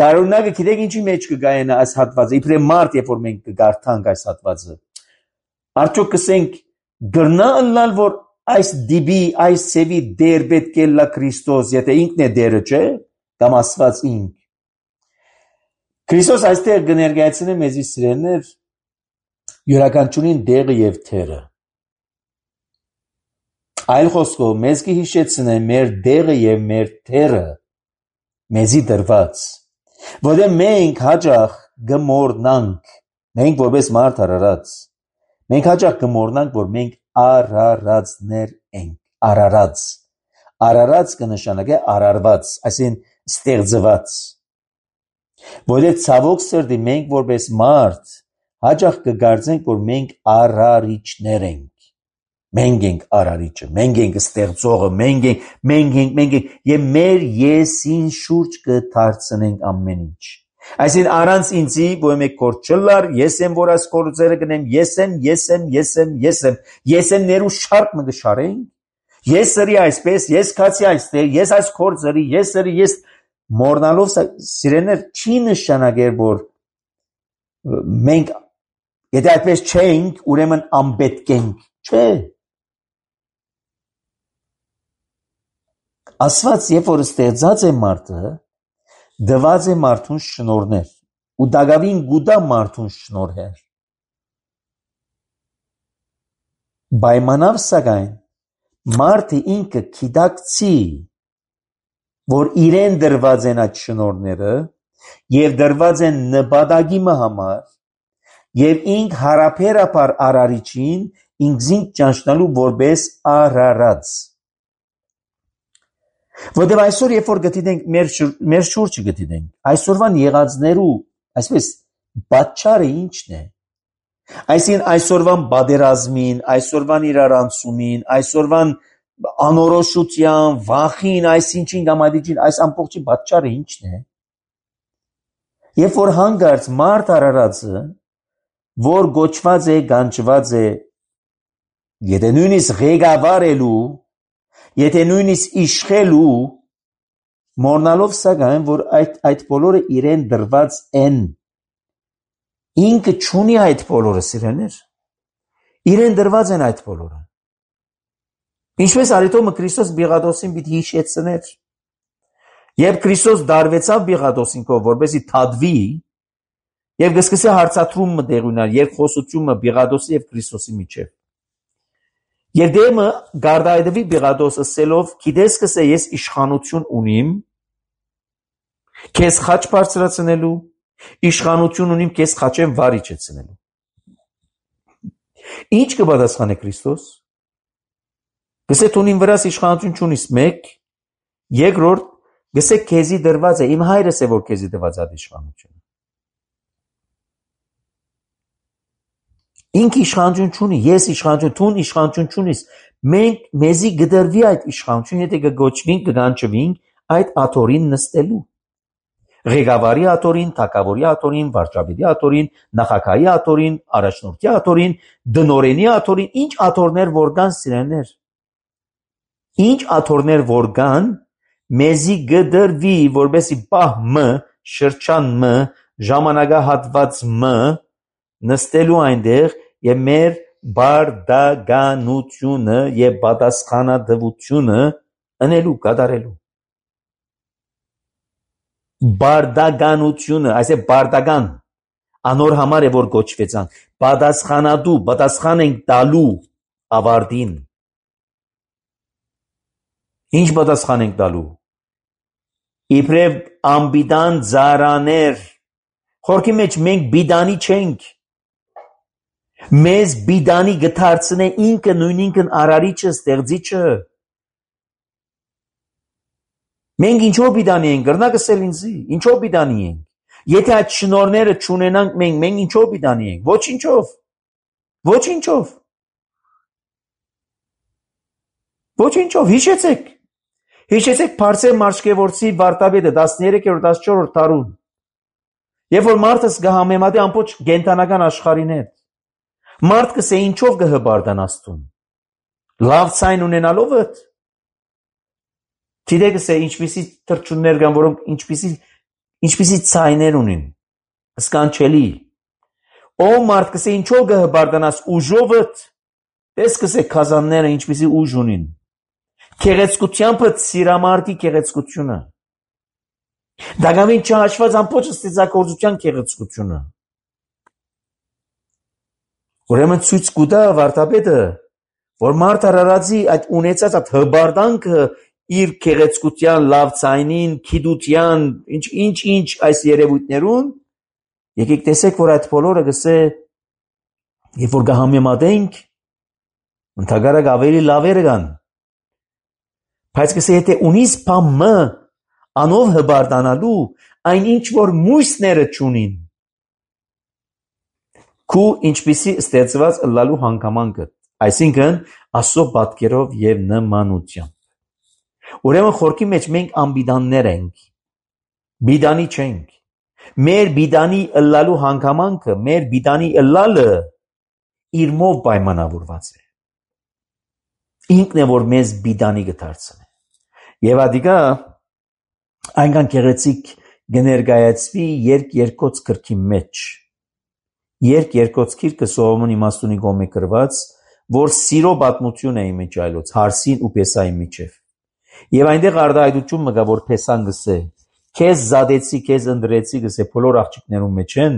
Դարունակը գիտեք ինչի մեջ կգայենա այս հատվածը, իբրև մարդ, երբ որ մենք կգարթանք այս հատվածը, արդյոք կսենք գրնա ըլլալ, որ այս դիբի, այս սևի դեր պետք է լա Քրիստոս, եթե ինքն է դերը, չէ, կամ Աստված ինք։ Քրիստոս այստեղ կներկայացնի մեզի սիրելիներ յուրաքանչյուրին դեղը եւ թերը։ Այլ խոսքով մեզ կհիշեցնե մեր դեղը եւ մեր թերը մեզի դրված, որը մենք հաջող գմորնանք, մենք որպես մարդ արարած, Մենք հաճախ կմոռնանք, որ մենք արարածներ ենք, արարած։ Արարած կնշանակե արարված, այսինքն ստեղծված։ Որովհետև ցավոք սրտի մենք որպես մարդ հաճախ կգարձենք, որ մենք արարիչներ ենք։ Մենք ենք արարիչը, մենք ենք ստեղծողը, մենք ենք, մենք ենք, մենք ենք, եւ մեր եսին շուրջ կդարձնենք ամեն ինչ։ Այսինքն առանց ինձի ոմե կորդ չլար, ես եմ որ այս կորձերը գնեմ, ես եմ, ես եմ, ես եմ, ես եմ, ես եմ ներու շարք մը գշարենք, ես սրի այսպես, ես քացի այստեղ, ես այս կորձերի, ես սրի, ես մորնալով սիրեներ չի նշանակեր, որ մենք եթե այդպես չենք, ուրեմն անպետք ենք, չէ։ Ասված երբ որ ստեղծած է մարդը, դված է մարդուն շնորհներ, ու դակավին գուտա մարդուն շնորհեր։ Պայմանավ սակայն մարդը ինքը գիտակցի, որ իրեն դրված են այդ շնորհները եւ դրված են նպատակի համար եւ ինք հարաբերաբար արարիչին ինքզին ճանչնալու որպես արարած։ Որտեւ այսօր երբ որ գտիդենք մեր մեր շուրջը գտիդենք, այսօրվան եղածներու, այսպես պատճառը ինչն է։ Այսինքն այսօրվան բادرազմին, այսօրվան իրարանցումին, այսօրվան անորոշության, վախին, այսինչին գամադիջին, այս ամբողջի պատճառը ինչն է։ Երբ որ հանգարց մարդ արարածը, որ գոչված է, գանչված է, եթե նույնիսկ ղեկավարելու, եթե նույնիսկ իշխելու, մոռնալով սակայն, որ այդ այդ բոլորը իրեն դրված են, ինքը չունի այդ բոլորը սիրելիներ, իրեն դրված են այդ բոլորը։ Ինչպես արիտոմը Քրիստոս Բիղադոսին պիտի հիշեցներ, երբ Քրիստոս դարվեցավ Բիղադոսինքով, որպեսզի թադվի, եւ գսկսե հարցատրումը դեղ ունենալ, երկխոսությունը Բիղադոսի եւ Քրիստոսի միջեւ։ Եվ դեմը գարդայդվի Բիղադոս ասելով, գիտես կսե ես իշխանություն ունիմ, քեզ խաչ բարձրացնելու, իշխանություն ունիմ քեզ խաչեմ վարիչեցնելու։ Ինչ կպատասխանե Քրիստոս։ Գսե տունին վրաս իշխանություն չունիս մեկ, երկրորդ գսե քեզի դրված է, իմ հայրս է որ քեզի դրված է իշխանությունը։ Ինք իշխանություն չունի, ես իշխանություն, տուն իշխանություն չունիս, մենք մեզի գդրվի այդ իշխանություն, եթե կգոչվենք, կգանչվենք այդ աթորին նստելու։ Ղեկավարի աթորին, թագավորի աթորին, վարչապետի աթորին, նախագահի աթորին, առաջնորդի աթորին, դնորենի աթորին, ինչ աթորներ որ կան սիրելիներ։ Ինչ աթորներ որ կան, մեզի գդրվի, որբեսի պահ մը, շրջան մը, ժամանակահատված մը նստելու այնտեղ եւ մեր բարդագանությունը եւ պատասխանատվությունը անելու կատարելու։ Բարդագանությունը, այսե բարդագան անոր համար է որ գոչվեցան, պատասխանատու, պատասխան ենք տալու ավարտին։ Ինչ պատասխան ենք տալու։ Իբրև անբիդան ծառաներ, խորքի մեջ մենք բիդանի չենք։ Մեզ բիդանի գթարցնե ինքը նույնինքն արարիչը, ստեղծիչը։ Մենք ինչով բիդանի ենք, գրնակսել ինձի, ինչով բիդանի ենք։ Եթե այդ շնորհները չունենանք մենք, մենք ինչով բիդանի ենք, ոչինչով։ Ոչինչով։ Ոչինչով, հիշեցեք։ Հիշեցեք Փարսե Մարշկևորցի վարտաբեդը տասներեքերորդ տասնչորսերորդ դարում։ Երբ որ մարդը կհամեմատի ամբողջ կենթանական աշխարհին հետ։ Մարդ կսե ինչով կհբարդան Աստծուն։ Լավ ցայն ունենալով է։ Գիտեք կսե ինչպիսի թրջուններ կան, որոնք ինչպիսի ինչպիսի ցայներ ունին։ Սկանչելի։ Ո մարդ կսե ինչով կհբարդանաս ուժով է։ Տես կսե քազանները ինչպիսի ուժ ունին։ Քեղեցկությամբ սիրամարտի քեղեցկությունը։ Դակամին չհաշված ամբողջ ստեղծագործության քեղեցկությունը։ Ուրեմն ցույց կուտա վարտաբեդը, որ մարդ արարածի այդ ունեցած այդ հբարդանքը իր քեղեցկության, լավ ցայնին, քիդության, ինչ ինչ ինչ այս երևույթներուն, եկեք տեսեք, որ այդ բոլորը գսե Երբ որ կհամեմատենք, ընդհանրապես ավելի լավերը կան։ Բայց կսե եթե ունիս բամը անով հբարտանալու, այն ինչ որ մույսները չունին, քու ինչպիսի ստեղծված ըլլալու հանգամանքը, այսինքն Աստծո պատկերով եւ նմանությամբ։ Ուրեմն խորքի մեջ մենք անբիդաններ ենք, բիդանի չենք։ Մեր բիդանի ըլլալու հանգամանքը, մեր բիդանի ըլլալը իր մով պայմանավորված է։ Ինքն է որ մեզ բիդանի կդարձնի։ Եվ ադիգա այնքան գեղեցիկ կներկայացվի երկ երկոց գրքի մեջ։ Երկ երկոց գիրքը Սողոմոն իմաստունի կողմէ գրված, որ սիրո պատմություն է մեջ այլոց Հարսին ու Պեսայի միջև։ Եվ այնտեղ արտահայտություն մգա, որ Պեսան գսե, քեզ զադեցի, քեզ ընդրեցի, գսե բոլոր աղջիկներում մեջ են,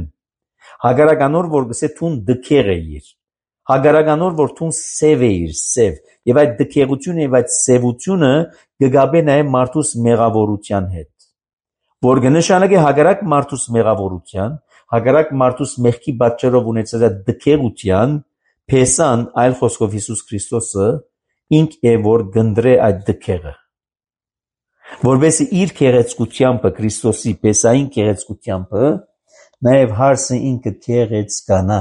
հագարականոր որ գսե թուն դքեղ էիր, հագարականոր որ թուն սև էիր, սև, եւ այդ դքեղությունը եւ այդ սևությունը կգաբե նաեւ մարդուս մեղավորության հետ, որ կնշանակի հագարակ մարդուս մեղավորության, հագարակ մարդուս մեղքի պատճառով ունեցած այդ դքեղության, Պեսան, այլ խոսքով Հիսուս Քրիստոսը, ինք է որ գնդրե այդ դքեղը, որովհետեւ իր քեղեցկությամբ Քրիստոսի Պեսային քեղեցկությամբ նաև հարսը ինքը քեղեցկանա,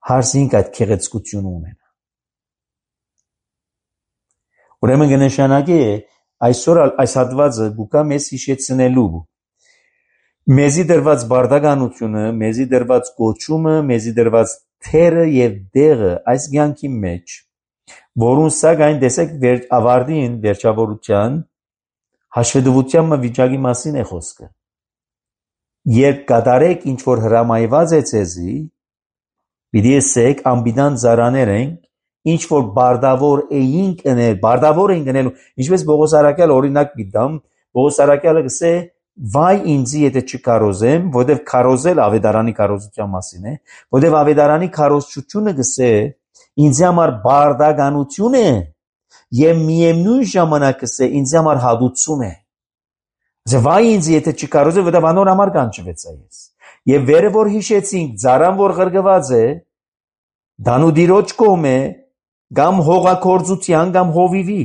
հարսը ինքը այդ քեղեցկությունը ունենա։ Ուրեմն կնշանակի այսօր այս հատվածը գուկա մեզ հիշեցնելու մեզի դրված բարդականությունը, մեզի դրված կոչումը, մեզի դրված թերը եւ դեղը այս ցանկի մեջ, որուն սակայն տեսեք վեր ավարտին վերջավորության հաշվետվության վիճակի մասին է խոսքը։ Երբ կատարեք ինչ որ հրամայված է ցեզի, պիտի ասեք անբիդան ծառաներ ենք, ինչ որ բարդավոր էինք ընել, բարդավոր ենք ընելու, ինչպես Պողոս Արաքյալը օրինակ պիտամ, Պողոս Արաքյալը գսե վայ ինձի եթե չկարոզեմ, որտեվ կարոզել ավետարանի կարոզության մասին է, որտեվ ավետարանի կարոզությունը գսե ինձ համար բարդականություն է եւ միևնույն ժամանակ գսե ինձ համար հադուցում է։ Ասե վայ ինձ եթե չկարոզեմ, որտեվ անոր համար կանչվեցա ես։ Եվ վերը որ հիշեցինք, ծառան որ ղրգված է, դանուդիրոջ կողմ է, կամ հողակորձության կամ հովիվի,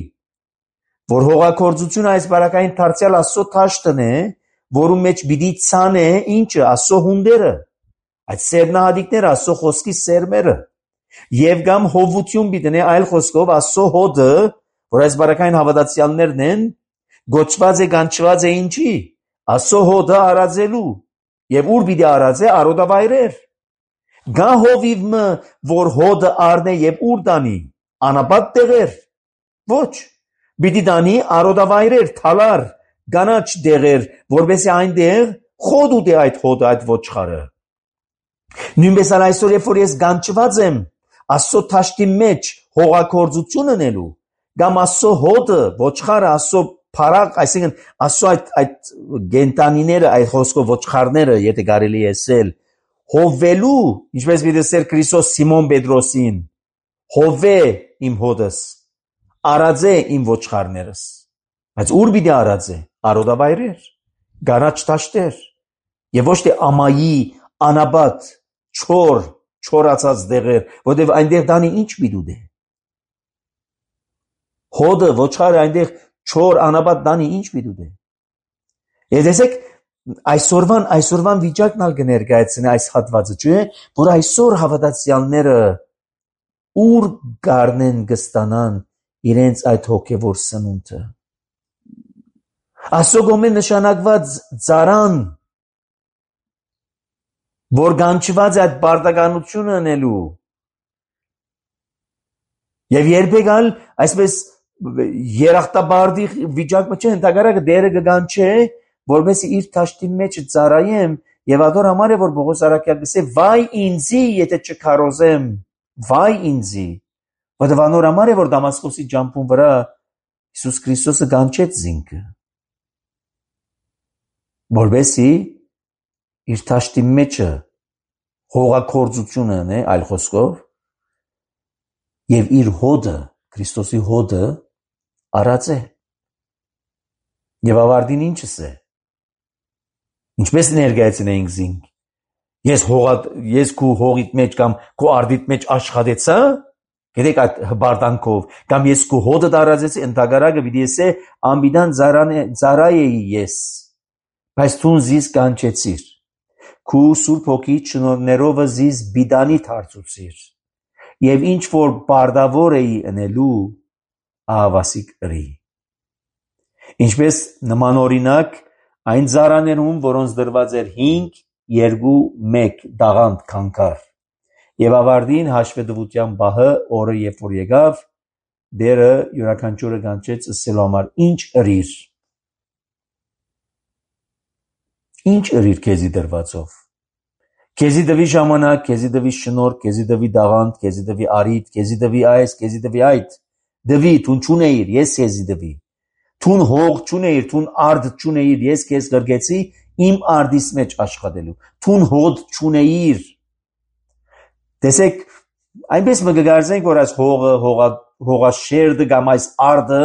որ հողակորձությունը այս բարակային դարձյալ Աստծո թաշտն է, որում մեջ պիտի ցանե ինչը Աստծո հունդերը, այդ սերնահատիկները, Աստծո խոսքի սերմերը, եւ կամ հովություն պիտի այլ խոսքով Աստծո հոդը, որ այս բարակային հավատացյալներն են, գոչված է կանչված է ինչի, Աստծո հոդը արածելու, եւ ուր պիտի արածե արոդավայրեր, գա հովիվը, որ հոդը առնե եւ ուր տանի, անապատ տեղեր, ոչ, պիտի տանի արոդավայրեր, թալար, գանաչ դեղեր, որովհետեւ այնտեղ խոդ ուտի այդ հոդը, այդ ոչխարը։ Նույնպես էլ այսօր երբ որ ես կանչված եմ Աստծո թաշտի մեջ հողակորձություն ունելու, կամ Աստծո հոդը, ոչխարը, Աստծո փարակ, այսինքն Աստծո այդ այդ գենտանիները, այդ խոսքով ոչխարները, եթե կարելի է ասել, հովվելու, ինչպես դիտեցեր Քրիստոս Սիմոն Պետրոսին, հովե իմ հոդս, արածե իմ ոչխարներս, բայց ուր պիտի արածե, արոդավայրեր, գանաչ տաշտեր, եւ ոչ թե ամայի, անաբատ, չոր, չորացած դեղեր, որտեւ այնտեղ դանի ինչ պիտի դե։ Հոդը, ոչխարը այնտեղ չոր, անաբատ դանի ինչ պիտի դե։ Եվ տեսեք, այսօրվան, այսօրվան վիճակն ալ կներկայացնի այս հատվածը, չէ՞, որ այսօր հավատացյալները ուր գարնեն կստանան իրենց այդ հոգևոր սնունդը։ Աստծո կողմէ նշանակված ծառան, որ կանչված է այդ բարդականությունը անելու, եւ երբեք ալ այսպես երախտաբարդի վիճակը չէ, ընդհանրապես դերը կգանչե, որպես իր թաշտի մեջ ծառայեմ, եւ ադոր համար է որ Պողոս Արաքյալը գսե վայ ինձի եթե չքարոզեմ, վայ ինձի, որովհետեւ անոր համար է որ Դամասկոսի ջամփուն վրա Հիսուս Քրիստոսը կանչեց զինքը, որովհետեւ իր թաշտի մեջը հողակորձությունն է, այլ խոսքով, եւ իր հոդը, Քրիստոսի հոդը արած է։ Եվ ավարտին ինչս է։ Ինչպես ներկայացնենք զինք։ Ես հողա ես քու հողիդ մեջ կամ քու արդիդ մեջ աշխատեցա, գիտեք այդ հբարդանքով, կամ ես քու հոդը դարածեցի, ընդհանրակը պիտի ասե ամբիդան ծարայեի ես, բայց թուն զիս կանչեցիր, քու Սուրբ Հոգի շնորհներով զիս բիդանի դարձուցիր, եւ ինչ որ բարդավոր էի ընելու, ահավասիկ ըրի։ Ինչպես նմանօրինակ այն ծառաներում, որոնց դրված էր հինգ, երկու, մեկ դաղանդ քանքար, եւ ավարտին հաշվետվության բահը օրը երբ որ եկավ, դերը յուրաքանչյուրը կանչեց ասելու համար ինչ ըրիր, ինչ ըրիր քեզի դրվածով, քեզի դվի ժամանակ, քեզի դվի շնորհ, քեզի դվի դաղանդ, քեզի դվի արիդ, քեզի դվի այս, քեզի դվի այդ, դվի, թուն չունեիր, ես քեզի դվի, թուն հող չունեիր, թուն արդ չունեիր, ես քեզ գրգեցի իմ արդիս մեջ աշխատելու, թուն հոդ չունեիր, տեսեք, այնպես մը գգարզենք, որ այս հողը, հողա, հողաշերդը կամ այս արդը,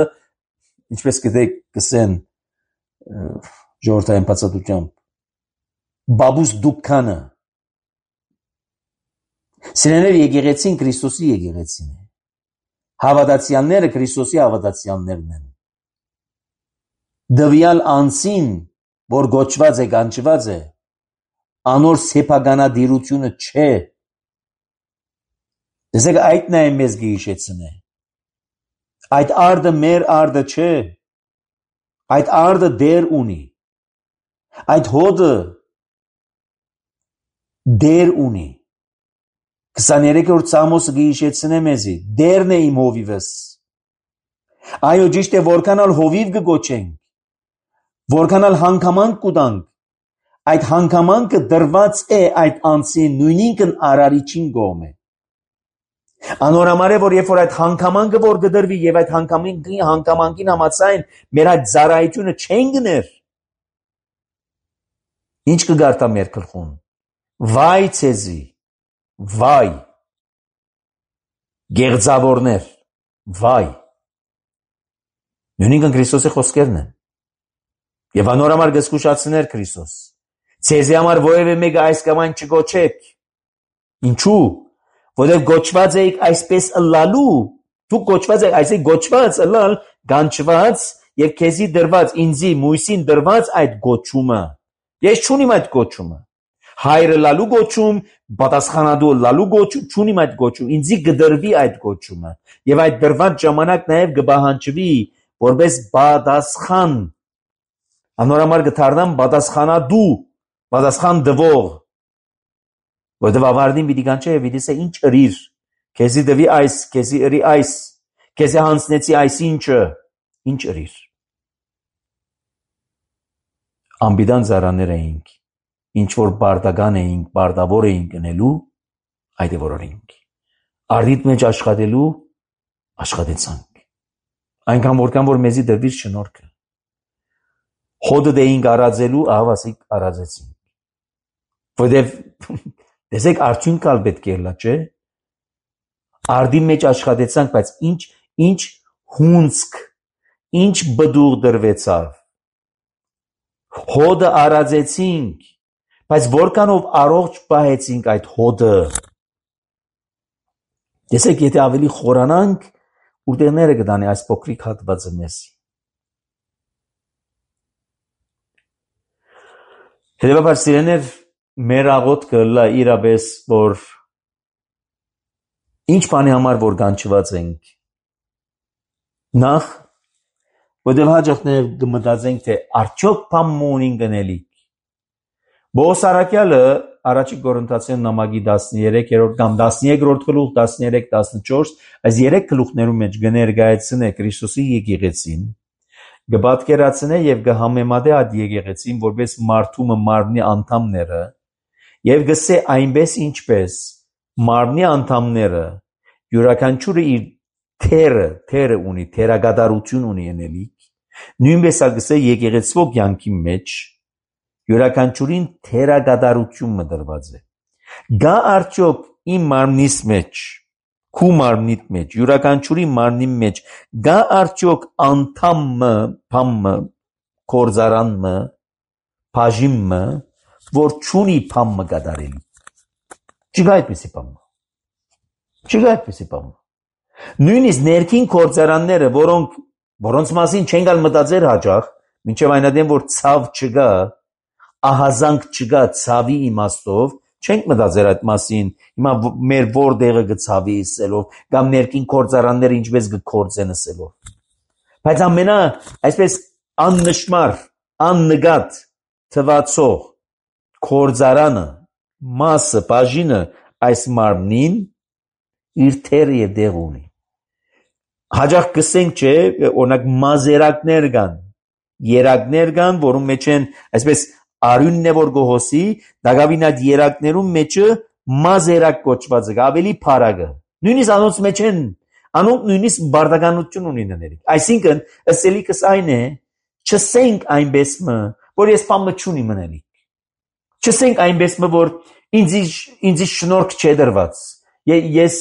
ինչպես գտեք կսեն ժողովրդային բացատրությամբ, բաբուս դուքանը, սիրեներ եկեղեցին Քրիստոսի եկեղեցին է, հավատացյալները Քրիստոսի հավատացյալներն են, դվյալ անձին, որ գոչված է, կանչված է, անոր սեփականադիրությունը չէ, տեսեք այդն է մեզ գիշեցնե, այդ արդը մեր արդը չէ, այդ արդը դեր ունի, այդ հոդը դեր ունի, քսաներեքորդ Սամոսը գիշեցնե մեզի, դերն է իմ հովիվս, այո ճիշտ է որքանալ հովիվ կգոչենք, որքանալ հանգամանք կուտանք, այդ հանգամանքը դրված է այդ անձին նույնինքն արարիչին գոմ է, անորամար է, որ երբ որ այդ հանգամանքը որ գդրվի և այդ հանգամանքին համացայն մեր այդ ծառայությունը չեն գներ, ինչ կգարտա մեր գլխուն, վայ ցեզի, վայ, գեղձավորներ, վայ, նույնինքն Քրիստոսի խոսքերն են, և անորամար գսկուշացներ Քրիստոս, ցեզի համար որևէ մեկը այս կամ այն չգոչեք, ինչու, որև գոչված էիք այսպես ըլլալու, դուք գոչված եք, այսինքն գոչված ըլլալ, գանչված և քեզի դրված, ինձի Մույսին դրված այդ գոչումը, ես չունիմ այդ գոչումը, հայրը լալու գոչում, պատասխանադու լալու գոչում, չունիմ այդ գոչում, ինձի գդրվի այդ գոչումը, և այդ դրված ժամանակ նաև գբահանջվի, որպես պատասխան, անորամար գթարնամ պատասխանադու, պատասխան դվող, որտև ավարտին պիտի կանչե և պիտի ասե ինչ ըրիր, քեզի դվի այս, քեզի ըրի այս, քեզի հանձնեցի այս ինչը, ինչ ըրիր։ Անբիդան ծառաներ էինք, ինչ որ բարդական էինք, բարդավոր էինք ընելու, այդ է որ օրինք։ Արդիդ մեջ աշխատելու, աշխատեցանք։ Այնքան որքան որ մեզի դրվիր շնորհքը։ Հոդը դեինք արածելու, ահավասիկ արածեցինք։ Որտև տեսեք արդյունքալ պետք է լա, չէ։ Արդի մեջ աշխատեցանք, բայց ինչ ինչ հունցք, ինչ բդուղ դրվեցավ։ Հոդը արածեցինք, բայց որքանով առողջ պահեցինք այդ հոդը։ Տեսեք, եթե ավելի խորանանք, ուտեղները կդանի այս փոքրիկ հատվածը մեզ։ Հետևաբար սիրեներ, մեր աղոթքը լա իրապես, որ ինչ բանի համար որ կանչված ենք։ Նախ, որտև հաջողներ կմտածենք, թե արդյոք բան մունին գնելիք։ Բողոս առաքյալը առաջի Կորինթացիներին նամակի տասներեքերորդ կամ տասներեքրորդ գլուխ, տասներեք, տասնչորս, այս երեք գլուխներում մեջ կներկայացնե Քրիստոսի եկեղեցին, կպատկերացնե եւ կհամեմատե այդ եկեղեցին որպես մարդու մարմնի անդամները եւ գսե այնպես ինչպես մարմնի անդամները յուրաքանչյուրը իր թերը, թերը ունի, թերագադարություն ունի ընելիք, նույնպես ալգսե եկեղեցվո կյանքի մեջ յուրաքանչյուրին թերագադարություն մդրված է։ Գա արդյոք իմ մարմնիս մեջ, քու մարմնիդ մեջ, յուրաքանչյուրի մարմնի մեջ, գա արդյոք անդամը, փամը, կորզարանմը, բաժիմը, որ չունի փամը գադարելի։ Չկա այդպիսի բան։ Չկա այդպիսի բան։ Նույնիսկ ներքին գործարանները, որոնք որոնց մասին չեն գալ մտածել հաճախ, մինչև այն ադեմ որ ցավ չկա, ահազանգ չկա ցավի իմաստով, չենք մտածել այդ մասին։ Հիմա մեր որտեղը գցավի իսելով, կամ ներքին գործարանները ինչպես կգործեն ասելով։ Բայց ամենա այսպես աննշմար, աննկատ թվացող գործարանը, մասը, բաժինը այս մարմնին իր թերը եւ դեղ ունի։ Հաջող կսենք չէ, օրինակ մազերակներ կան, երակներ կան, որում մեջ են այսպես արյունն է որ գոհոսի, դակավին այդ երակներում մեջը մազերակ կոչված է, ավելի փարագը։ Նույնիսկ անոնց մեջ են, անոնք նույնիսկ բարդականություն ունին ներիկ։ Այսինքն, ըսելիքս այն է, չսենք այնպես մը, որ ես բամը չունի մնալիք։ Չսենք այնպես մը, որ ինձ ինձ շնորհք չէ դրված։ Ես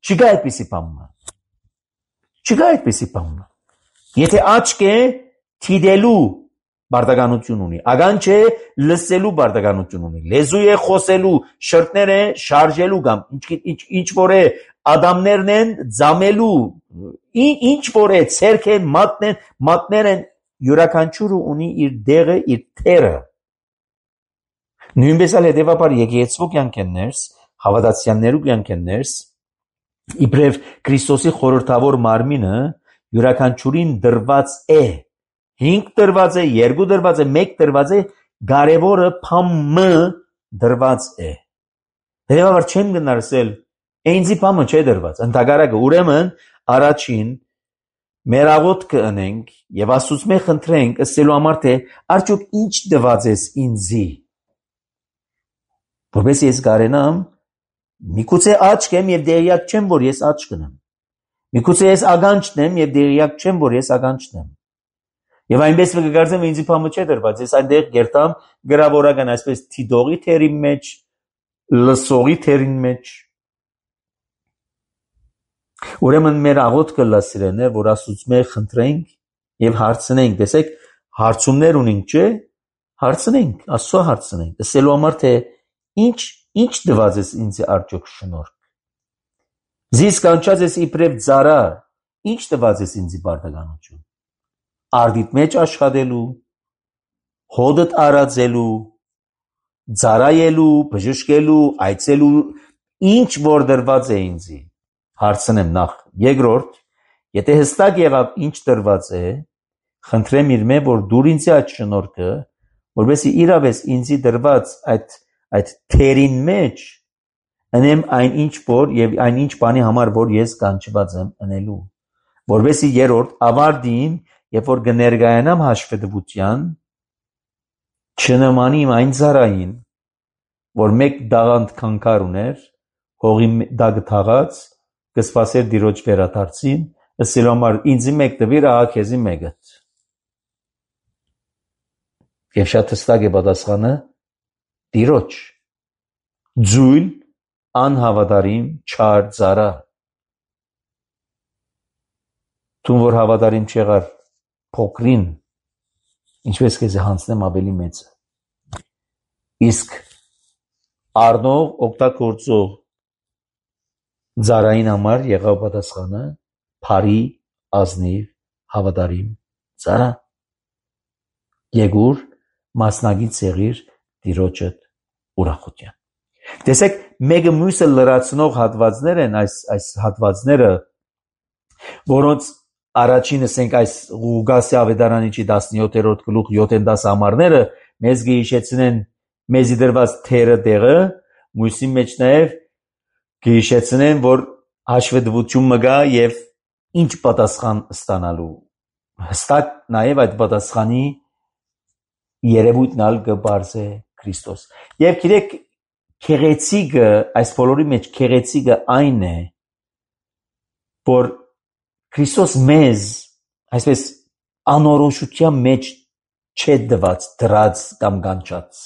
չկա այդպիսի բան։ Չկա այդպիսի բան։ Եթե աչք է թիդելու բարդականություն ունի, ագան չէ լսելու բարդականություն ունի, լեզու է խոսելու, շրտներ է շարժելու կամ ինչ ինչ որ է ադամներն են ձամելու, ինչ որ է ցերք են, մատներ, մատներ են, յուրաքանչյուրը ունի իր դերը, իր թերը։ Նույնպես էլ հետևաբար եկեղեցու կյանքերս, հավատացյալներու կյանքերս, իբրև Քրիստոսի խորհրդավոր մարմինը յուրաքանչյուրին դրված է։ Հինգ դրված է, երկու դրված է, մեկ դրված է, կարևորը փամը դրված է։ Հետևաբար չեմ գնարսել, այնձի փամը չէ դրված։ Ընդհակառակը ուրեմն առաջին մեր աղոթքը ընենք եւ Աստծուց խնդրենք ըսելու համար թե արդյոք ինչ դված ես ինձի։ Որպես ես կարենամ, միգուցե աչք եմ եւ դերյակ չեմ, որ ես աչք ունեմ։ Միգուցե ես ագանչն եմ եւ դերյակ չեմ, որ ես ագանչն եմ։ Եվ այնպես կգարձեմ ինձի փամը չէ դրված, ես այնտեղ գերտամ գրավորական այսպես թիդողի թերի մեջ, լսողի թերին մեջ։ Ուրեմն մեր աղոթքը լասիրեն է, որ Աստծուց խնդրենք եւ հարցնենք, տեսեք, հարցումներ ունենք, չէ՞, հարցնենք, Աստծո հարցնենք, ասելու համար թե ինչ ինչ դված ես ինձ արդյոք շնորհք։ Զիս կանչած ես իբրև ծառա, ինչ դված ես ինձ բարդականություն։ Արդիդ մեջ աշխատելու, հոդդ արածելու, ծառայելու, բժշկելու, այցելու, ինչ որ դրված է ինձի։ Հարցնեմ նախ, երկրորդ, եթե հստակ եղավ ինչ դրված է, խնդրեմ իր մե որ դուր ինձ այդ շնորհքը, որովհետեւ իրավես ինձի դրված այդ այդ թերին մեջ անեմ այն ինչ որ եւ այն ինչ բանի համար որ ես կանչված եմ անելու, որովհետեւ երրորդ ավարտին երբ որ կներկայանամ հաշվետվության չնմանի այն ծառային որ մեկ դաղանդ քանքար ուներ հողի դագ թաղած կսպասեր դիրոջ վերադարձին ասելու համար ինձի մեկ դվիր ահա քեզի մեկը եւ շատ հստակ է պատասխանը դիրոջ ձույլ անհավատարիմ չար ծառա Տուն որ հավատարիմ չեղար փոքրին ինչպես կեզ հանցնեմ ավելի մեծը իսկ առնող օգտագործող ծառային համար եղավ պատասխանը փարի ազնիվ հավատարիմ ծառա Եգուր մասնագիտ եղիր դիրոջդ ուրախության Տեսեք մեկը մյուսը լրացնող հատվածներ են այս այս հատվածները որոնց առաջինը ասենք այս Ղուգասի ավետարանիչի տասնյոթերորդ գլուխ յոթ համարները մեզ գիշեցնեն մեզի դրված թերը դեղը մյուսի մեջ նաև գիշեցնեն որ հաշվետվություն մգա եւ ինչ պատասխան ստանալու հստակ նաև այդ պատասխանի երևույթն ալ կբարձե Քրիստոս եւ գիտեք քեղեցիկը այս բոլորի մեջ քեղեցիկը այն է որ Քրիստոս մեզ այսպես անորոշության մեջ չէ դված դրած կամ կանչած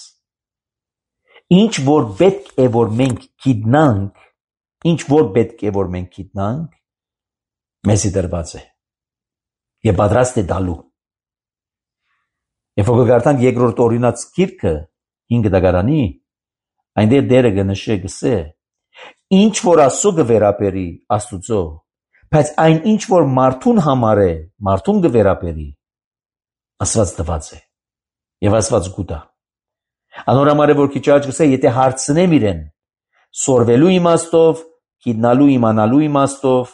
ինչ որ պետք է որ մենք գիտնանք ինչ որ պետք է որ մենք գիտնանք մեզի դրված է եւ պատրաստ է դալու Երբ որ գարտանք երկրորդ օրինաց գիրքը հինգ դագարանի այնտեղ դերը կնշե գսե ինչ որ Աստծո կվերապերի Աստուծո, բայց այն ինչ որ մարդուն համար է, մարդուն կվերապերի, Աստված տված է եւ Աստված գուտա։ Անորամար է որ քիչ առաջ գսե, եթե հարցնեմ իրեն սորվելու իմաստով, գիտնալու իմանալու իմաստով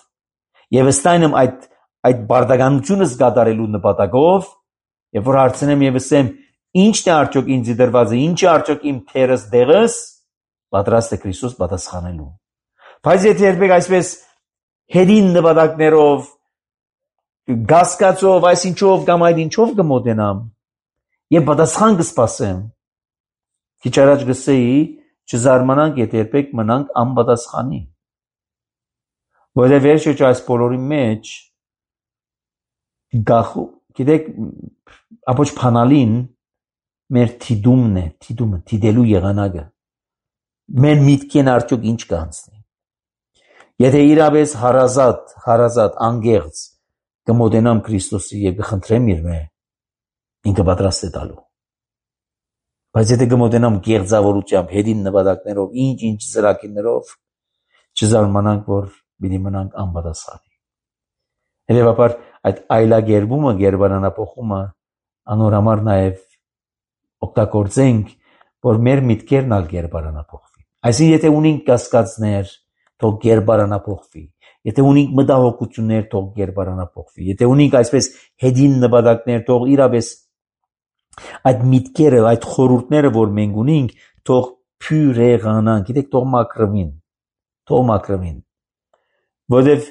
եւ ըստայն այդ այդ բարդականությունը զգադարելու նպատակով, եւ որ հարցնեմ եւ ասեմ ինչն է արդյոք ինձ դրվածը, ինչ է արդյոք իմ թերս դեղս, պատրաստ է Քրիստոս պատասխանելու։ Բայց եթե երբեք այսպես հետին նպատակներով, գասկածով, այսինչով կամ այդ ինչով կմոտենամ եւ պատասխան կսպասեմ, քիչ առաջ գսեի, չզարմանանք, եթե երբեք մնանք անպատասխանի։ Որովհետեւ վերջը այս բոլորի մեջ գախու, գիտեք, ապոչ փանալին մեր թիդումն է, թիդումը, թիդելու եղանակը։ Մեր միտքեն արդյոք ինչ կանցնի։ Եթե իրապես հարազատ, հարազատ անգեղծ կմոտենամ Քրիստոսի եւ կխնդրեմ իր մե, ինքը պատրաստ է տալու։ Բայց եթե կմոտենամ գեղձավորությամբ, հետին նպատակներով, ինչ-ինչ ծրագիրներով, չզարմանանք, որ պիտի մնանք անպատասխանի։ Հետևաբար այդ այլագերբումը, գերբարանափոխումը անորամար նաև օգտագործենք, որ մեր միտքերն ալ գերբարանափոխվի։ Այսինքն եթե ունենք կասկածներ, թող գերբարանափոխվի։ Եթե ունենք մտահոգություններ, թող գերբարանափոխվի։ Եթե ունենք այսպես հետին նպատակներ, թող իրապես այդ միտքերը, այդ խորհուրդները, որ մենք ունենք, թող փյուրեղանան, գիտեք, թող մաքրվին, թող մաքրվին։ Որովհետև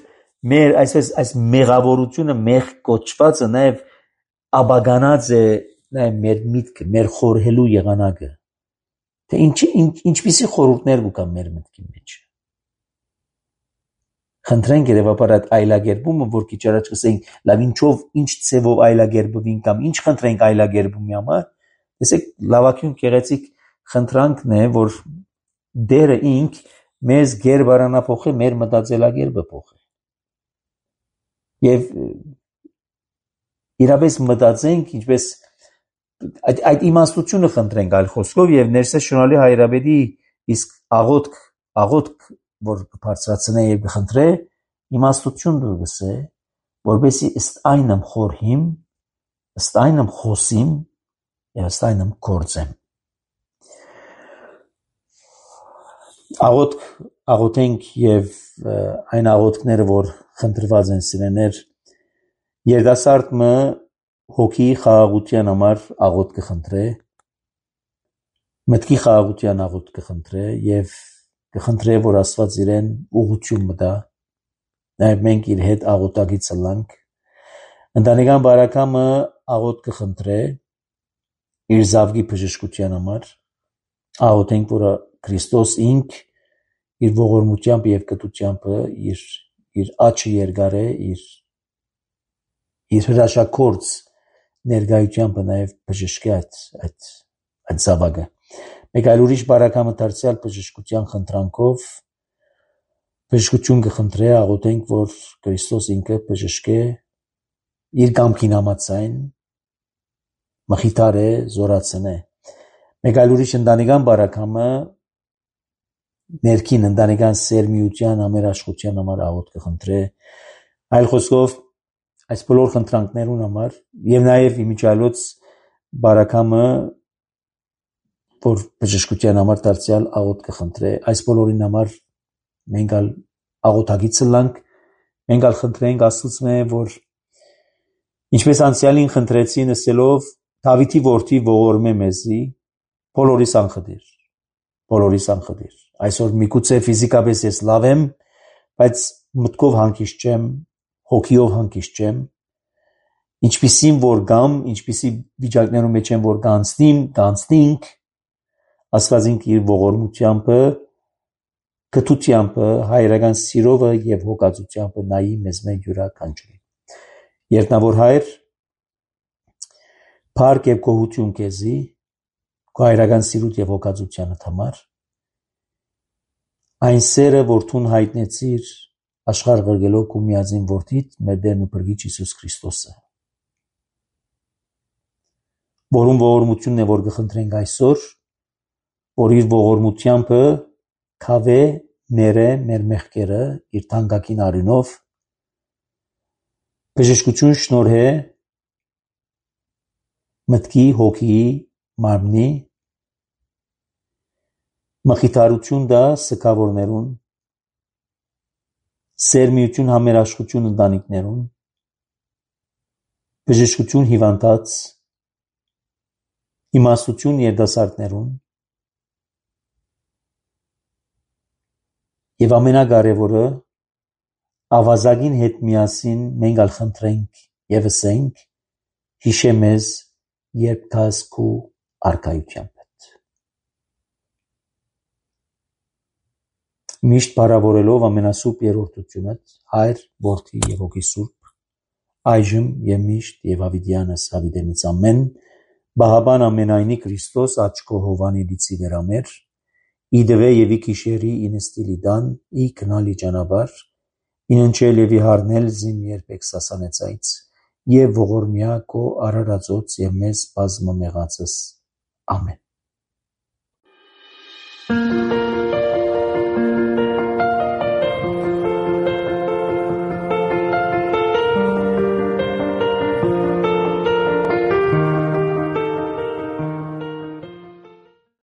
մեր այսպես այս մեղավորությունը, մեղ կոչվածը նաև աբագանած է նաև մեր միտքը, մեր խորհելու եղանակը։ Թե ինչ, ինչ, ինչպիսի խորհուրդներ կան մեր մտքի մեջ։ Խնդրենք երևաբար այդ այլագերբումը, որ քիչ առաջ ասենք, լավ ինչով, ինչ ցևով այլագերբվին կամ ինչ խնդրենք այլագերբումի համար, տեսեք, լավագույն գեղեցիկ խնդրանքն է, որ դերը ինք մեզ գերբարանափոխի, մեր մտածելակերպը փոխի։ Եվ իրապես մտածենք, ինչպես այդ, այդ իմաստությունը խնդրենք այլ խոսքով եւ ներսե շնորհալի հայրաբեդի իսկ աղոթք, աղոթք, որ բարձրացնե եւ կխնդրե, իմաստություն դուր գսե, որբեսի ըստ այնմ խորհիմ, ըստ այնմ խոսիմ եւ ըստ այնմ գործեմ։ Աղոթք, աղոթենք եւ այն աղոթքները, որ խնդրված են սիրեներ, երդասարտը հոգի խաղաղության համար աղոթք կխնդրե, մտքի խաղաղության աղոթք կխնդրե եւ կխնդրե, որ Աստված իրեն ուղղություն մտա, նաեւ մենք իր հետ աղոթակից լանք, ընտանեկան բարակամը աղոթք կխնդրե իր զավգի բժշկության համար, աղոթենք, որ Քրիստոս ինք իր ողորմությամբ եւ կտությամբ իր իր աչքը երկարե, իր իր հրաշագործ ներկայությամբ նաև բժշկի այդ այդ այդ զավակը։ Մեկ այլ ուրիշ բարակամը դարձյալ բժշկության խնդրանքով բժշկություն կխնդրե, աղոթենք, որ Քրիստոս ինքը բժշկե իր կամքին համաձայն, մխիթարե, զորացնե։ Մեկ այլ ուրիշ ընտանեկան բարակամը ներքին ընտանեկան սերմիության համերաշխության համար աղոթք կխնդրե։ Այլ խոսքով այս բոլոր խնդրանքներուն համար եւ նաեւ իմիջիալոց բարակամը, որ բժշկության համար դարձյալ աղոթք կխնդրե, այս բոլորին համար մենք ալ աղոթակից լանք, մենք ալ խնդրենք Աստծո, որ ինչպես անցյալին խնդրեցին ասելով Դավիթի որդի ողորմե մեզի, բոլորիս անխտիր, բոլորիս անխտիր։ Այսօր միգուցե ֆիզիկապես ես լավ եմ, բայց մտքով հանգիստ չեմ, հոգիով հանգիստ չեմ, ինչպիսին որ գամ, ինչպիսի վիճակներում մեջ եմ, որ կանցնիմ, կանցնինք, Աստված ինք իր ողորմությամբ, կթությամբ, հայրական սիրովը եւ հոգացությամբ նայի մեզ մեկ յուրաքանչյուրին։ Երտնավոր հայր, փառք եւ գոհություն քեզի, քո հայրական սիրուտ եւ հոգացությանդ համար, այն սերը, որ դու հայտնեցիր աշխարհ ղրգելով քո միածին որդիդ, մեր Տերն ու Փրկիչ Հիսուս Քրիստոսը, որում ողորմությունն է, որ կխնդրենք այսօր, որ իր ողորմությանբը քավե ներե մեր մեղքերը իր թանկագին արյունով, բժշկություն շնորհե մտքի, հոգի, մարմնի, մխիթարություն դա սգավորներուն, սերմիություն համերաշխություն ընտանիքներուն, բժշկություն հիվանդած, իմաստություն երիտասարդներուն եւ ամենակարևորը ավազակին հետ միասին մենք ալ խնդրենք եւ ասենք հիշե մեզ երբ դաս քու արքայությամբ միշտ բարավորելով ամենասուրբ երրորդությունդ Հայր, Որդի եւ Հոգի Սուրբ այժմ եւ միշտ եւ ավիդյանս ավիդենից ամեն Բահաբան ամենայնի Քրիստոս աչքո հովանի դիցի վերամեր իդվե եւ ի քիշերի ինստիլի դան ի կնալի ճանապար ինընչել եւ իհարնել զին երբեք սասանեցայց եւ ողորմյա քո արարածոց եւ մեզ բազմամեղածս ամեն